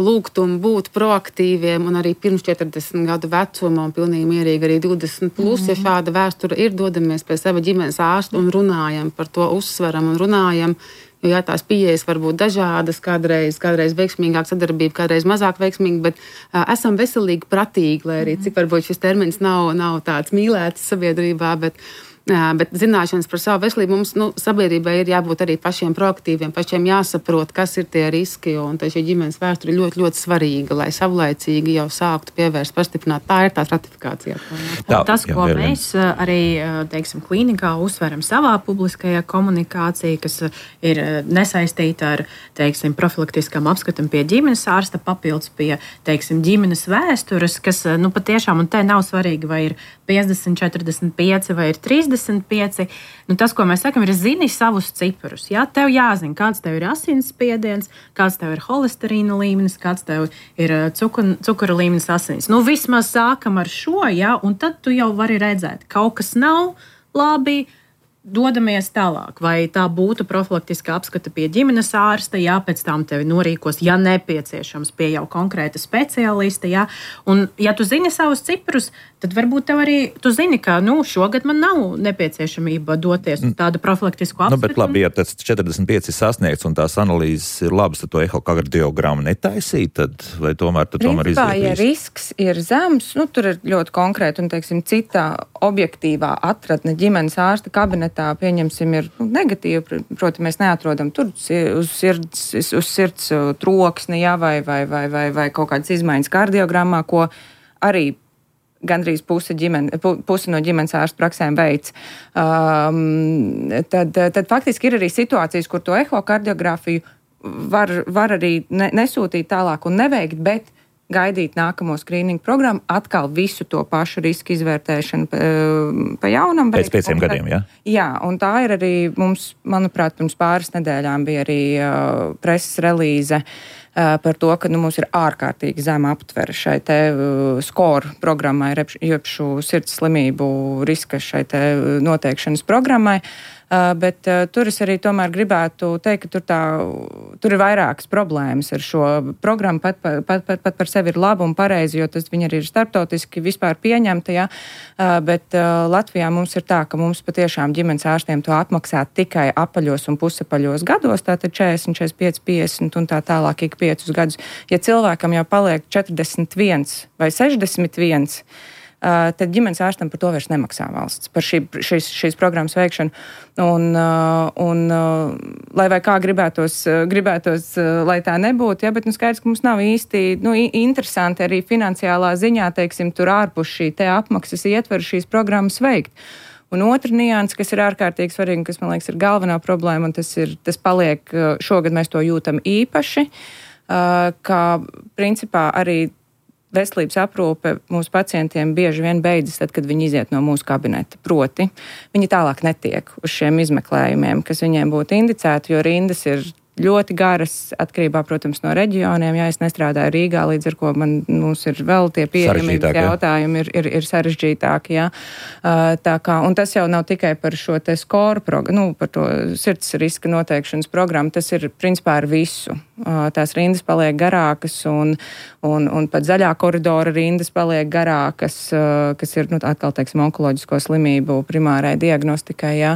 Lūgtum būt proaktīviem un arī pirms četrdesmit gadu vecuma un pilnīgi mierīgi arī divdesmit plus, mm-hmm. ja šāda vēstura ir, dodamies pie sava ģimenes ārsta un runājam par to, uzsveram un runājam. Jo jā, tās pieejas var būt dažādas, kādreiz, kādreiz veiksmīgāk sadarbība, kādreiz mazāk veiksmīga, bet uh, esam veselīgi pratīgi, lai arī cik varbūt šis termins nav, nav tāds mīlēts sabiedrībā, bet, uh, bet zināšanas par savu veselību mums, nu, sabiedrībai ir jābūt arī pašiem proaktīviem, pašiem jāsaprot, kas ir tie riski, un tā šī ģimenes vēsture ir ļoti, ļoti svarīga, lai savlaicīgi jau sāktu pievērst, pastiprināt. Tā ir tā stratifikācija. Tā, tas, jā, ko jā, mēs arī, teiksim, klīnikā uzsveram savā publiskajā komunikācijā, kas ir nesaistīta ar, teiksim, profilaktiskām apskatam pie ģimenes ārsta, papildus pie, teiksim, ģimenes vēstures, kas, nu, patiešām, un te nav svarīgi, vai ir piecdesmit, četrdesmit pieci vai ir trīsdesmit pieci. Nu, tas, ko mēs sakam, ir zini savus ciparus. Jā, tev jāzina, kāds tev ir asinsspiediens, kāds tev ir holesterīna līmenis, kāds tev ir cukur, cukura līmenis asinīs. Nu, vismaz sākam ar šo, jā, un tad tu jau vari redzēt, kaut kas nav labi, dodamies tālāk, vai tā būtu profilaktiska apskata pie ģimenes ārsta, jā, pēc tam tevi norīkos, ja nepieciešams, pie jau konkrēta speciālista, jā, un ja tu zini savus ciprus, tad varbūt tev arī, tu zini, ka, nu, šogad man nav nepieciešamība doties uz tādu profilaktisku apskatu. Nu, bet labi, ja tas četrdesmit pieci ir sasniegts un tās analīzes ir labas, tad to ehokardiogramu netaisīt, tad vai tomēr, tad tomēr Principā, iziet ja risks ir zems, nu, tur ir ļoti konkrēti un, teiksim, citā objektīvā atradne ģimenes ārsta kabinetā, pieņemsim, ir nu, negatīva, proti, mēs neatrodam tur uz sirds, uz sirds troksni, jā, vai, vai, vai, vai, vai kaut kādas izmaiņas kardiogrammā, ko arī gandrīz puse, ģimene, puse no ģimenes ārsta praksēm veids. Um, tad, tad faktiski ir arī situācijas, kur to ehokardiografiju var, var arī ne, nesūtīt tālāk un neveikt, bet gaidīt nākamo skrīningu programmu, atkal visu to pašu risku izvērtēšanu pa, pa jaunam. Pēc pieciem un, gadiem, jā? Jā, un tā ir arī mums, manuprāt, pirms pāris nedēļām bija arī uh, preses relīze uh, par to, ka nu, mums ir ārkārtīgi zema aptvere šai te uh, skoru programmai, jebšu sirds slimību riska šai te noteikšanas programmai. Uh, bet uh, tur es arī tomēr gribētu teikt, ka tur, tā, tur ir vairākas problēmas ar šo programmu. Pat, pat, pat, pat par sevi ir laba un pareizi, jo tas viņi arī ir starptautiski vispār pieņemta. Ja? Uh, bet uh, Latvijā mums ir tā, ka mums patiešām ģimenes ārstiem to apmaksā tikai apaļos un pusapaļos gados, tātad četrdesmit, četrdesmit pieci, piecdesmit un tā tālāk ik piecus gadus. Ja cilvēkam jau paliek četrdesmit viens vai sešdesmit viens, Uh, tad ģimenes ārstam par to vairs nemaksā valsts, par šī, šīs, šīs programmas veikšanu. Un, uh, un uh, lai vai kā gribētos, uh, gribētos uh, lai tā nebūtu, ja, bet nu, skaidrs, ka mums nav īsti nu, interesanti arī finansiālā ziņā, teiksim, tur ārpus šī te apmaksas ietver šīs programmas veikt. Un otra nianse, kas ir ārkārtīgi svarīga, kas, man liekas, ir galvenā problēma, un tas, ir, tas paliek, šogad mēs to jūtam īpaši, uh, ka principā arī veselības aprūpe mūsu pacientiem bieži vien beidzas tad, kad viņi iziet no mūsu kabineta. Proti, viņi tālāk netiek uz šiem izmeklējumiem, kas viņiem būtu indicēti, jo rindas ir ļoti garas, atkarībā, protams, no reģioniem. Jā, es nestrādāju Rīgā, līdz ar ko man, mums ir vēl tie pieejamības jautājumi ir, ir, ir sarežģītāki. Jā. Uh, tā kā, un tas jau nav tikai par šo te skoru, prog- nu, par to sirds riska noteikšanas programmu, tas ir principā ar visu. Uh, tās rindas paliek garākas un, un, un pat zaļā koridora rindas paliek garākas, uh, kas ir, nu, atkal, teiksim, onkoloģisko slimību primārai diagnostikai, jā.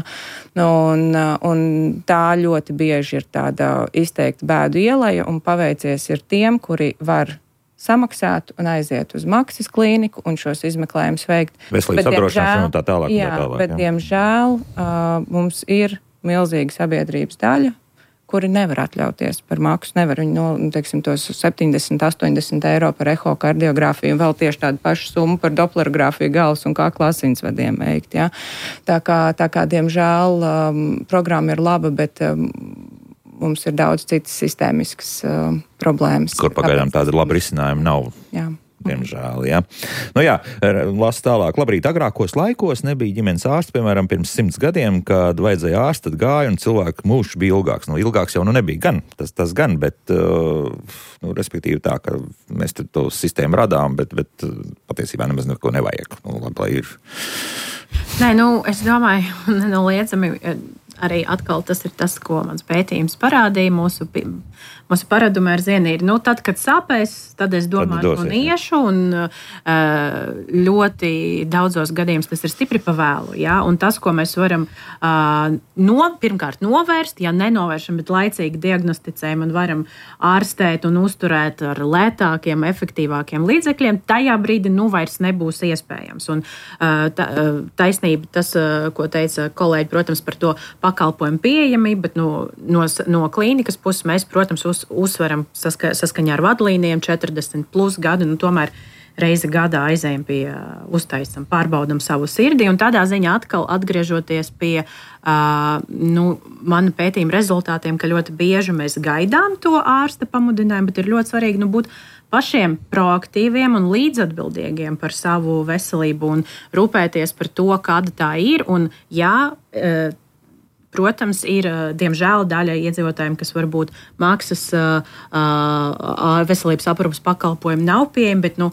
Un, uh, un tā ļoti bieži ir tāda izteikti bēdu ieleja un paveicies ir tiem, kuri var samaksāt un aiziet uz maksas klīniku un šos izmeklējumus veikt. Veselības apdrošināšana un tā tālāk. Jā, tā tālāk, bet jā. diemžēl uh, mums ir milzīga sabiedrības daļa, kuri nevar atļauties par maksu, nevar viņi, no, teiksim, tos septiņdesmit, astoņdesmit eiro par ehokardiogrāfiju un vēl tieši tādu pašu summu par doplerogrāfiju galvas un kakla asinsvadiem veikt. Ja? Tā kā, tā kā, diemžēl, um, programma ir laba, bet um, mums ir daudz citas sistēmiskas uh, problēmas. Kur pagaidām tāda laba risinājuma nav. Jā. Diemžēl, jā. Nu jā, las tālāk. Labrīt, agrākos laikos nebija ģimenes ārsts, piemēram, pirms simts gadiem, kad vajadzēja ārstu, tad gāja un cilvēku mūžs bija ilgāks. Nu, ilgāks jau nu nebija gan, tas, tas gan, bet, uh, nu, respektīvi tā, ka mēs to sistēmu radām, bet, bet patiesībā nemaz neko nevajag. Nu, labi, lai ir. Nē, nu, es domāju, nenoliedzami arī atkal tas ir tas, ko mans pētījums parādīja. Mūsu, mūsu paradumi ar zieni ir, nu, tad, kad sāpēs, tad es domāju, tad un iešu, un ļoti daudzos gadījumos tas ir stipri pavēlu. Ja? Un tas, ko mēs varam no, pirmkārt novērst, ja nenovēršam, bet laicīgi diagnosticējam un varam ārstēt un uzturēt ar lētākiem, efektīvākiem līdzekļiem, tajā brīdī nu vairs nebūs iespējams. Un tā, taisnība tas, ko teica kolēģi, protams, par to pakalpojumu pieejamību, bet no, no, no klīnikas puses mēs, protams, uz, uzsveram saska, saskaņā ar vadlīnijiem četrdesmit plus gadu, nu tomēr reizi gadā aizējam pie, uztaisam, pārbaudam savu sirdi, un tādā ziņā atkal atgriežoties pie uh, nu, manu pētījumu rezultātiem, ka ļoti bieži mēs gaidām to ārsta pamudinājumu, bet ir ļoti svarīgi nu, būt pašiem proaktīviem un līdzatbildīgiem par savu veselību un rūpēties par to, kāda tā ir, un jā, uh, protams, ir, diemžēl, daļa iedzīvotājiem, kas varbūt maksas veselības aprūpas pakalpojumi nav pieejami, bet, nu,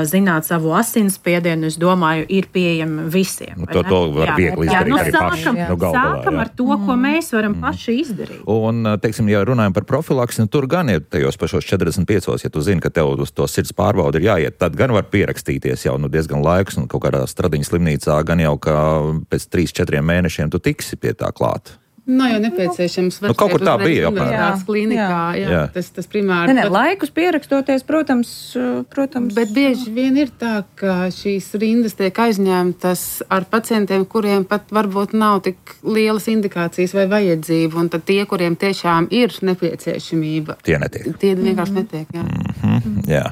zināt savu asinsspiedienu, es domāju, ir pieejami visiem. To, to var jā, viegli izdarīt nu, arī sākam, paši. Jā. Nu, sākam ar to, ko mēs varam mm. paši izdarīt. Un, teiksim, ja runājam par profilaksi, nu, tur gan ir tajos pašos četrdesmit piecos, ja tu zini, ka tev uz to sirds pārbauda ir jāiet, tad gan var pierakstīties jau nu, diezgan laiks, un kaut kādā Stradiņas slimnīcā gan jau, ka pēc trīs četriem mēnešiem tu tiksi pie tā klāt. Nav jau nepieciešams. Nu, kaut kur tā bija. Jā, klīnikā, jā. Jā. Tas, tas primāri. Ne, ne, laikus pierakstoties, protams, protams. Bet bieži vien ir tā, ka šīs rindas tiek aizņemtas ar pacientiem, kuriem pat varbūt nav tik lielas indikācijas vai vajadzība, un tad tie, kuriem tiešām ir nepieciešamība. Tie netiek. Tie vienkārši mm-hmm. netiek, jā. Mm-hmm, jā.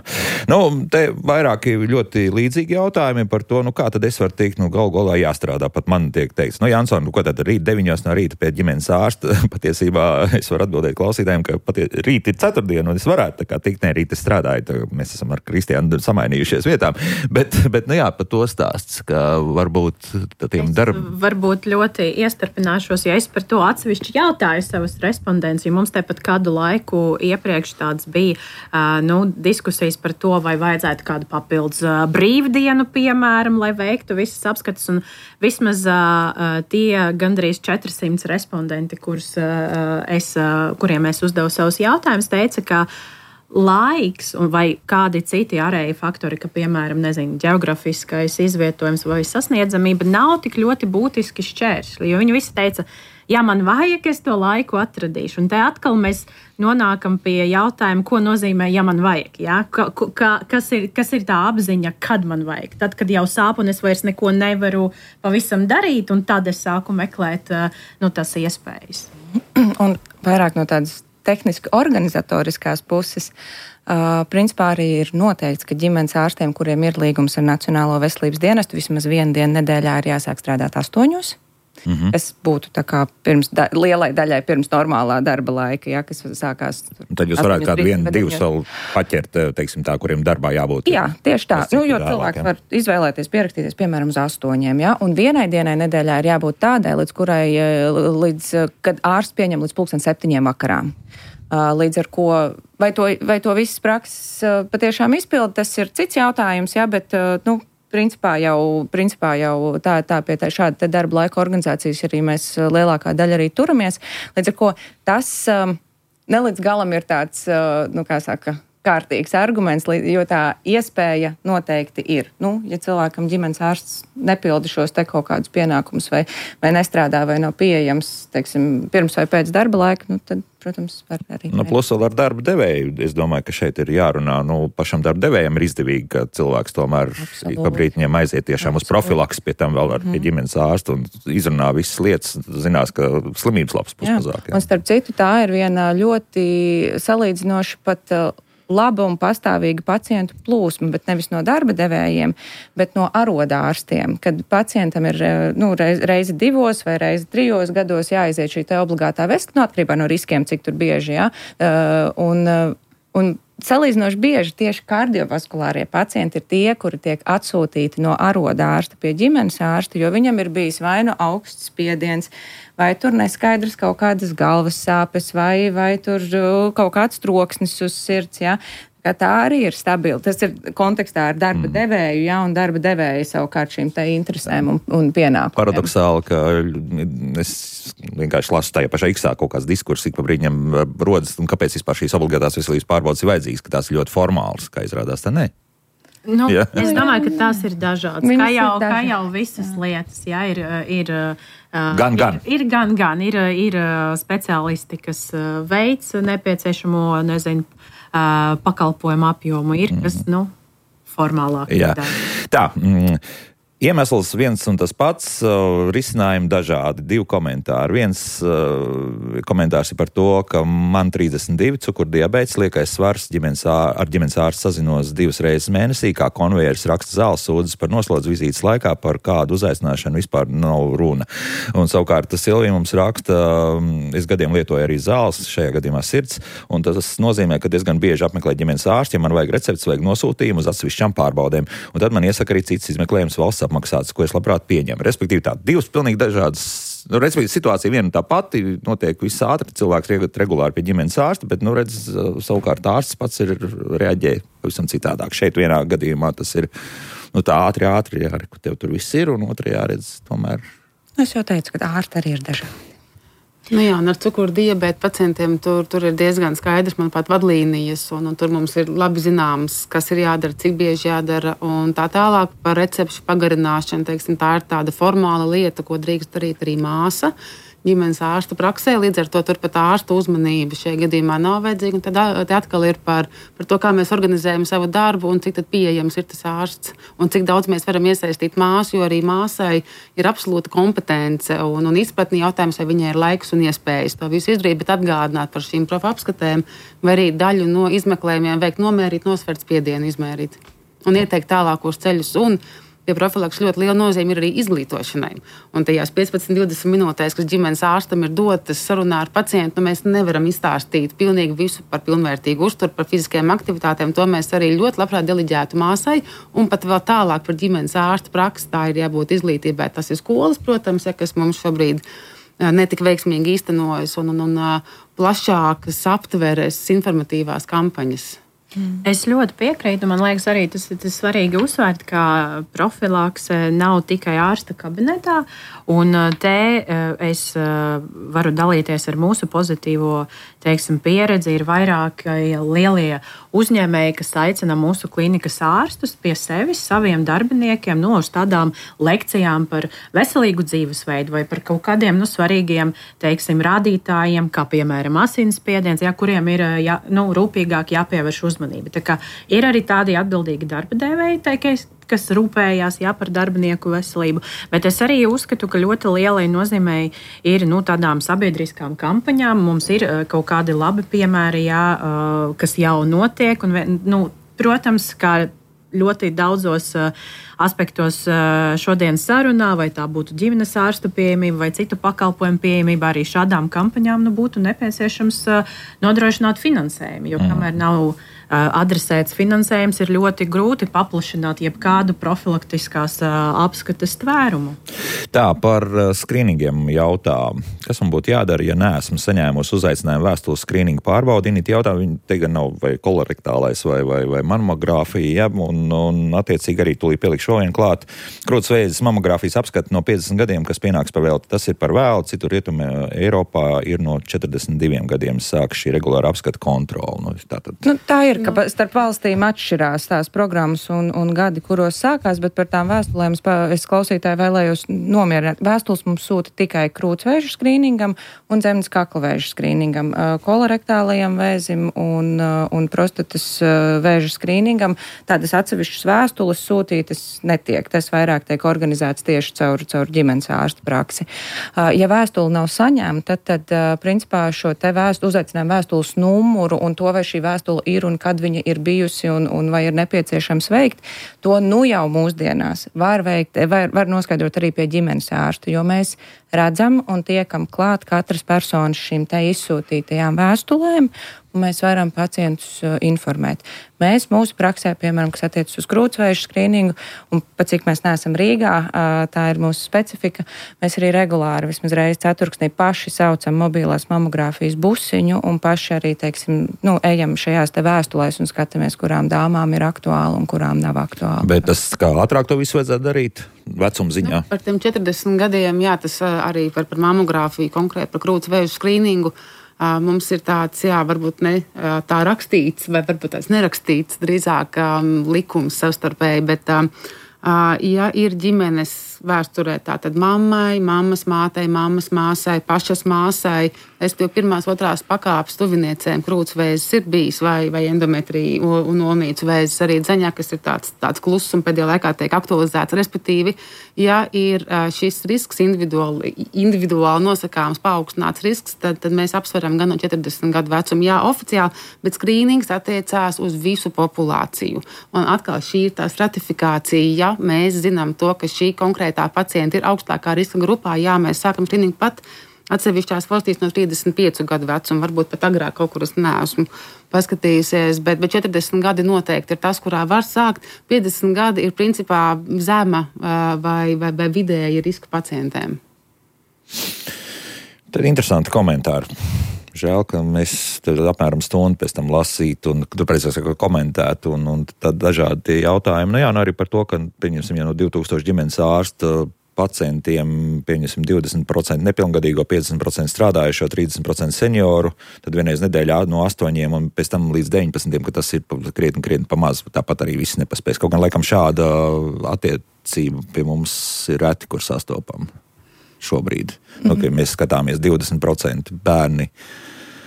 Nu, te vairāki ļoti līdzīgi jautājumi par to, nu kā tad es varu teikt, nu gal galā jāstrādā. Pat man tiek teikts, nu Janson, nu ko tad rīt deviņos no rīta pie ģimenes ārsta, patiesībā es varu atbildēt klausītājiem, ka patie, rīt ir ceturtdiena, un es varētu tā kā tikt, ne, rīt es strādāju, tā, mēs esam ar Kristiānu samainījušies vietām, bet, bet nu jā, par to stāsts, ka varbūt tiem darb... Varbūt ļoti iestarpināšos, ja es par to atsevišķi jautāju savus respondents, jo mums tepat kādu laiku iepriekš tāds bija, uh, nu, diskusijas par to, vai vajadzētu kādu papildus uh, brīvdienu, piemēram, lai veiktu visas apskates, un vismaz uh, tie gandrīz četrsimt respondenti, kurus, uh, es, uh, kuriem es uzdevu savus jautājumus, teica, ka laiks un vai kādi citi ārēji faktori, ka, piemēram, nezinu, geografiskais izvietojums vai sasniedzamība nav tik ļoti būtiski šķēršļi, jo viņi visi teica, ja man vajag, es to laiku atradīšu. Un te atkal mēs nonākam pie jautājuma, ko nozīmē, ja man vajag. Ja? Ka, ka, kas, ir, kas ir tā apziņa, kad man vajag? Tad, kad jau sāp un es vairs neko nevaru pavisam darīt, un tad es sāku meklēt nu, tas iespējas. Un vairāk no tādas tehniski organizatoriskās puses, uh, principā arī ir noteikts, ka ģimenes ārstiem, kuriem ir līgums ar Nacionālo veselības dienestu, vismaz vienu dienu nedēļā ir jāsāk strādāt astoņos. Mm-hmm. Es būtu tā kā pirms da, lielai daļai pirms normālā darba laika, ja, kas sākās. Tad jūs varētu kādu vienu, divus vēl paķert, teiksim tā, kuriem darbā jābūt. Jā, tieši tā. Nu, jo cilvēks ja. var izvēlēties, pierakstīties, piemēram, uz astoņiem, ja, un vienai dienai nedēļā ir jābūt tādai, līdz kurai, līdz, kad ārsts pieņem līdz pulksten septiņiem vakarā. Līdz ar ko, vai to, vai to visas prakses patiešām izpilda, tas ir cits jautājums, ja, bet, nu, Principā jau, principā jau tā, tā pie tā šāda darba laika organizācijas arī mēs lielākā daļa arī turamies. Līdz ar ko tas um, ne līdz galam ir tāds, uh, nu kā saka, kārtīgs arguments, jo tā iespēja noteikti ir. Nu, ja cilvēkam ģimenes ārsts nepilda šos te kaut kādus pienākumus vai, vai nestrādā vai nav pieejams, teiksim, pirms vai pēc darba laika, nu tad, protams, var arī. Nu, plus vēl ar darba devēju. Es domāju, ka šeit ir jārunā, nu, pašam darba devējiem ir izdevīgi, ka cilvēks tomēr ik pa brītiņiem aiziet tiešām Absolut. Uz profilaks, pie tam vēl ar mm. ģimenes ārstu un izrunā visas lietas, zinās, ka slimības labs būs mazāk. Jā. Un starp citu, tā ir viena ļoti salīdzinoši pat laba un pastāvīga pacientu plūsma, bet nevis no darba devējiem, bet no arodārstiem, kad pacientam ir nu, reiz, reizi divos vai reizi trijos gados jāaiziet šī te obligātā veselība, no atkarībā no riskiem, cik tur bieži, jā, un, un salīdzinoši bieži tieši kardiovaskulārie pacienti ir tie, kuri tiek atsūtīti no arodārsta pie ģimenes ārsta, jo viņam ir bijis vai nu augsts spiediens, vai tur neskaidrs kaut kādas galvas sāpes, vai, vai tur kaut kāds troksnis uz sirds, jā. Ka tā arī ir stabila. Tas ir kontekstā ar darba mm. devēju, jā, un darba devēju savukārt šīm te interesēm un, un pienākumiem. Paradoxāli, ka es vienkārši lasu tajā pašā iksā kaut kāds diskurss, ik pa brīņam rodas, un kāpēc vispār šīs obligātās veselības pārbaudas ir vajadzīgas, ka tās ir ļoti formālas, kā izrādās, tā ne. Nu, yeah. Es domāju, ka tās ir dažādas. Kā jau, kā jau visas lietas, jā, ir, ir, gan, gan. ir, ir gan, gan, ir, ir speciālisti, kas veic nepieciešamo, nezinu, pakalpojumu apjomu, ir, kas, nu, formālāk. Jā. Tā, mm. Iemesls viens un tas pats, uh, risinājumi dažādi, divi komentāri. Viens uh, komentārs ir par to, ka man trīsdesmit divi cukurdiabēts, liekais svars, ģimenes ār, ar ģimenes ārstu sazinos divas reizes mēnesī, kā konvejeris raksta zāles sūdzes par noslodzi vizītes laikā, par kādu uzaicināšanu vispār nav runa. Un savukārt Silvija mums raksta, es gadiem lietoju arī zāles, šajā gadījumā sirds, un tas nozīmē, ka diezgan bieži apmeklē ģimenes ārsti, ja man vajag recepts, vajag nosūtījumu uz atsevišķām pārbaudēm. Un tad man iesaka arī cits izmeklējums valsts apmaksāts, ko es labprāt pieņemu. Respektīvi tā, divas pilnīgi dažādas, nu, respektīvi situācija viena tā pati, notiek viss ātri, cilvēks iet regulāri pie ģimenes ārsta, bet, nu, redz, savukārt ārsts pats ir reaģē pavisam citādāk. Šeit vienā gadījumā tas ir, nu, tā ātri, ātri, jā, ka tev tur viss ir, un otrajā redz, tomēr. Es jau teicu, ka ārsti arī ir dažādi. Nu jā, un ar cukuru diabēta pacientiem tur, tur ir diezgan skaidrs, manuprāt, vadlīnijas, un, un tur mums ir labi zināms, kas ir jādara, cik bieži jādara, un tā tālāk par recepšu pagarināšanu, teiksim, tā ir tāda formāla lieta, ko drīkst darīt arī māsa ģimenes ārsta praksē, līdz ar to turpat ārsta uzmanība šajā gadījumā nav vajadzīga, un tad te atkal ir par, par to, kā mēs organizējam savu darbu, un cik tad pieejams ir tas ārsts, un cik daudz mēs varam iesaistīt māsu, jo arī māsai ir absolūta kompetence un, un izpratni jautājums, vai viņai ir laiks un iespējas to visu izdarīt, bet atgādināt par šīm profa apskatēm, vai arī daļu no izmeklējumiem veikt nomērīt, nosvert spiedienu izmērīt un ieteikt tālākos ceļus. Un pie profilakses ļoti liela nozīme ir arī izglītošanai. Un tajās piecpadsmit līdz divdesmit minūtēs, kas ģimenes ārstam ir dotas sarunā ar pacientu, nu, mēs nevaram izstāstīt pilnīgi visu par pilnvērtīgu uzturu, par fiziskajām aktivitātēm. To mēs arī ļoti labprāt deliģētu māsai. Un pat vēl tālāk par ģimenes ārsta praksi, tā ir jābūt izglītībai. Tas ir skolas, protams, ja, kas mums šobrīd netik veiksmīgi īstenojas, un, un, un plašākas aptveres informatīvās kampaņas. Es ļoti piekrītu. Man liekas, arī tas ir svarīgi uzsvērt, ka profilakse nav tikai ārsta kabinetā. Un te es varu dalīties ar mūsu pozitīvo, teiksim, pieredzi. Ir vairāk lielie uzņēmēji, kas aicina mūsu klinikas ārstus pie sevis, saviem darbiniekiem, no uz tādām lekcijām par veselīgu dzīvesveidu vai par kaut kādiem nu, svarīgiem, teiksim, rādītājiem, kā piemēram asinsspiediens, ja, kuriem ir jā, nu, rūpīgāk jāpievērš uzmanība. Tā kā ir arī tādi atbildīgi darba devēji, kas, kas rūpējās jā, par darbinieku veselību, bet es arī uzskatu, ka ļoti lielai nozīmei ir nu, tādām sabiedriskām kampaņām. Mums ir kaut kādi labi piemēri, jā, kas jau notiek, un, nu, protams, kā ļoti daudzos aspektos šodien sarunā, vai tā būtu ģimenes ārsta pieejamība vai citu pakalpojumu pieejamība, arī šādām kampaņām nu, būtu nepieciešams nodrošināt finansējumu, jo kamēr nav adresēts finansējums, ir ļoti grūti paplašināt jebkādu profilaktiskās apskates tvērumu. Tā, par skrīningiem jautā, kas man būtu jādara, ja neesmu saņēmusi uzaicinājumu vēstules skrīningu pārbaudi. Init jautā, viņi te gan nav vai kolorektālais vai, vai, vai mamogrāfija, ja, un, un attiecīgi arī tūlīt pielikšu vēl vienu klāt. Krūts vēzis mamogrāfijas apskati no piecdesmit gadiem, kas pienāks par velti. Tas ir par vēlu, citur rietumē Eiropā ir no četrdesmit diviem gadiem sāk šī regulāra apskata kontrola. Nu, tātad... nu, tā ir, ka nu. Starp valstīm atšķirās tās programmas un, un gadi, kuros sākās, bet par tām vēstulēm es klausītāji vēlējos nomierināt. Vēstules mums sūta tikai krūtsvēžu skrīningam un zemes kaklavēžu skrīningam, kolorektālajam vēzim un, un prostatas vēžu skrīningam. Tādas atsevišķas vēstules sūtītas netiek. Tas vairāk tiek organizēts tieši caur, caur ģimenes ārsta praksi. Ja vēstule nav saņemta, tad, tad principā šo te vēstuli, uzaicinājumu vēstules numuru un to, vai šī vēstule ir un kad viņa ir bijusi un, un vai ir nepieciešams veikt, to nu jau mūsdienās var veikt, var, var noskaidrot arī pie ģimenes ārsta, jo mēs redzam un tiekam klāt katras personas šīm te izsūtītajām vēstulēm, un mēs varam pacientus uh, informēt. Mēs mūsu praksē, piemēram, kas attiecas uz krūtsvēžu skrīningu, un pat cik mēs neesam Rīgā, uh, tā ir mūsu specifika, mēs arī regulāri, vismaz reizi ceturksnī paši saucam mobilās mamogrāfijas busiņu, un paši arī, teiksim, nu, ejam šajās te vēstulēs un skatāmies, kurām dāmām ir aktuāli un kurām nav aktuāli. Bet tas kā ātrāk to visu vajadzētu darīt? Vecuma ziņā? Nu, par tiem četrdesmit gadiem, jā, tas arī par, par mamogrāfiju, konkrēti par krūtsvēžu skrīningu. Uh, mums ir tāds, jā, varbūt ne uh, tā rakstīts, vai varbūt tāds nerakstīts, drīzāk um, likums savstarpēji, bet, uh, uh, ja ir ģimenes vēsturē, tātad mammai, mammas mātei, mammas māsai, pašas māsai, es jau pirmās, otrās pakāpes tuviniecēm krūtsvēzis ir bijis, vai, vai endometrija un omīcu vēzis arī dzeņā, kas ir tāds, tāds kluss un pēdējā laikā tiek aktualizēts. Respektīvi, ja ir šis risks individuāli, individuāli nosakāms paaugstināts risks, tad, tad mēs apsveram gan no četrdesmit gadu vecumu, jā, oficiāli, bet skrīnings attiecās uz visu populāciju. Un atkal šī ir tā stratifikācija, ja mēs zinām to, ka šī konkrēta tā pacienti ir augstākā riska grupā, jā, mēs sākam skrīningu pat Atsevišķās valstīs no trīsdesmit piecu gadu vecuma, varbūt pat agrāk kaut kur es neesmu paskatījusies, bet, bet četrdesmit gadi noteikti ir tas, kurā var sākt. piecdesmit gadi ir principā zema vai, vai, vai vidēja riska pacientiem. Tad ir interesanti komentāri. Žēl, ka mēs apmēram stundu pēc tam lasītu un, tu precīzāk, komentētu un, un tad dažādi jautājumi. Nu jā, nu arī par to, ka, pieņemsim, ja no divtūkstoši ģimenes ārsta pacientiem, pieņemsim, divdesmit procenti nepilngadīgo, piecdesmit procenti strādājušo, trīsdesmit procenti senioru, tad vienreiz nedēļā no astoņiem un pēc tam līdz deviņpadsmitiem, ka tas ir krietni, krietni pamaz, tāpat arī visi nepaspēs. Kaut gan, laikam, šāda attiecība pie mums ir reti, kur sastopam šobrīd. Mm-hmm. Nu, ka mēs skatāmies divdesmit procenti bērni.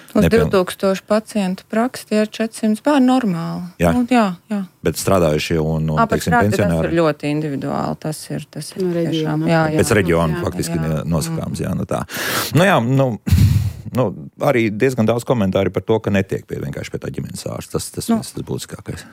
Uz nepiln... divtūkstoši pacientu praksi tie ir četrsimt bērni normāli. Jā. Nu, jā, jā. Bet strādājušie un, un teiksim, pensionāri. Tas ir ļoti individuāli. Tas ir, tas ir no tiešām. Jā, jā. Pēc reģiona jā, faktiski jā. nosakāms. Jā, nu tā. Nu jā, nu, nu, arī diezgan daudz komentāri par to, ka netiek pie vienkārši pie tā ģimenes ārsta. Tas, tas, nu. tas, tas būtiskākais.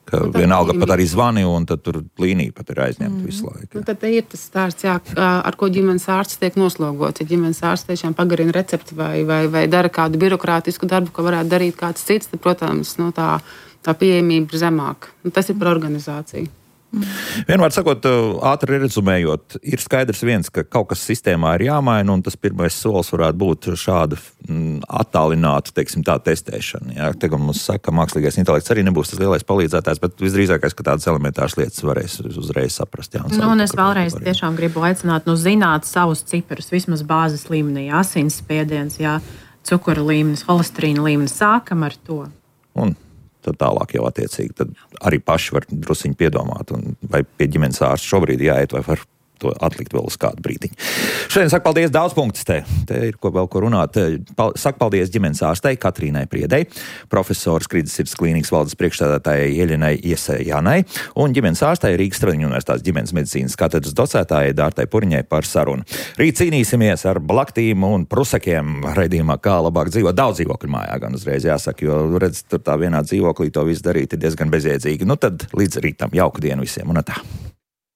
Ka vienalga pat arī zvani, un tad tur līnija pat ir aizņemta mm. visu laiku. Nu, tad ir tas stāsts, jā, ar ko ģimenes ārsts tiek noslogots. Ja ģimenes ārsts tiešām pagarina recepti vai, vai, vai dara kādu birokrātisku darbu, ko varētu darīt kāds cits, tad, protams, nu, tā, tā pieejamība ir zemāka. Nu, tas ir par organizāciju. Mm. Vienmēr sakot, ātri rezumējot, ir skaidrs viens, ka kaut kas sistēmā ir jāmaina, un tas pirmais solis varētu būt šāda mm, attālināta, teiksim, tā testēšana. Jā, te, mums saka, ka mākslīgais intelekts arī nebūs tas lielais palīdzētājs, bet visdrīzākais, ka tādas elementāras lietas varēs uzreiz saprast. Jā, un, nu, un es vēlreiz tiešām gribu aicināt, nu, zināt savus ciparus, vismaz bāzes līmenī, asinsspiediens, jā, cukura līmenis, holesterīna līmenis, sākam ar to. Un tad tālāk jau attiecīgi, tad arī paši var drusiņi piedomāt, un vai pie ģimenes ārsta šobrīd jāiet, vai var to atlikt vēl uz kādu brīdiņu. Šodien saku paldies daudz punktus te. Te ir ko vēl ko runāt. Pal- saku paldies ģimenes ārstei Katrīnai Priedei, profesoras Krīdas sirds klīnikas valdes priekšstādātājai Ieļinai Iesējānai un ģimenes ārstei Rīgas Tradiņu universitātes ģimenes medicīnas katedras docētājai Dārtai Puriņai par sarunu. Rīt cīnīsimies ar blaktīm un prusakiem raidījumā, kā labāk dzīvot. Daudz dzīvokļu mājā gan uzreiz jāsaka, jo redz, tur tā vienā dzīvoklī to visu darīt ir diezgan bezjēdzīgi. Nu tad līdz rītam jauku dienu visiem un tā.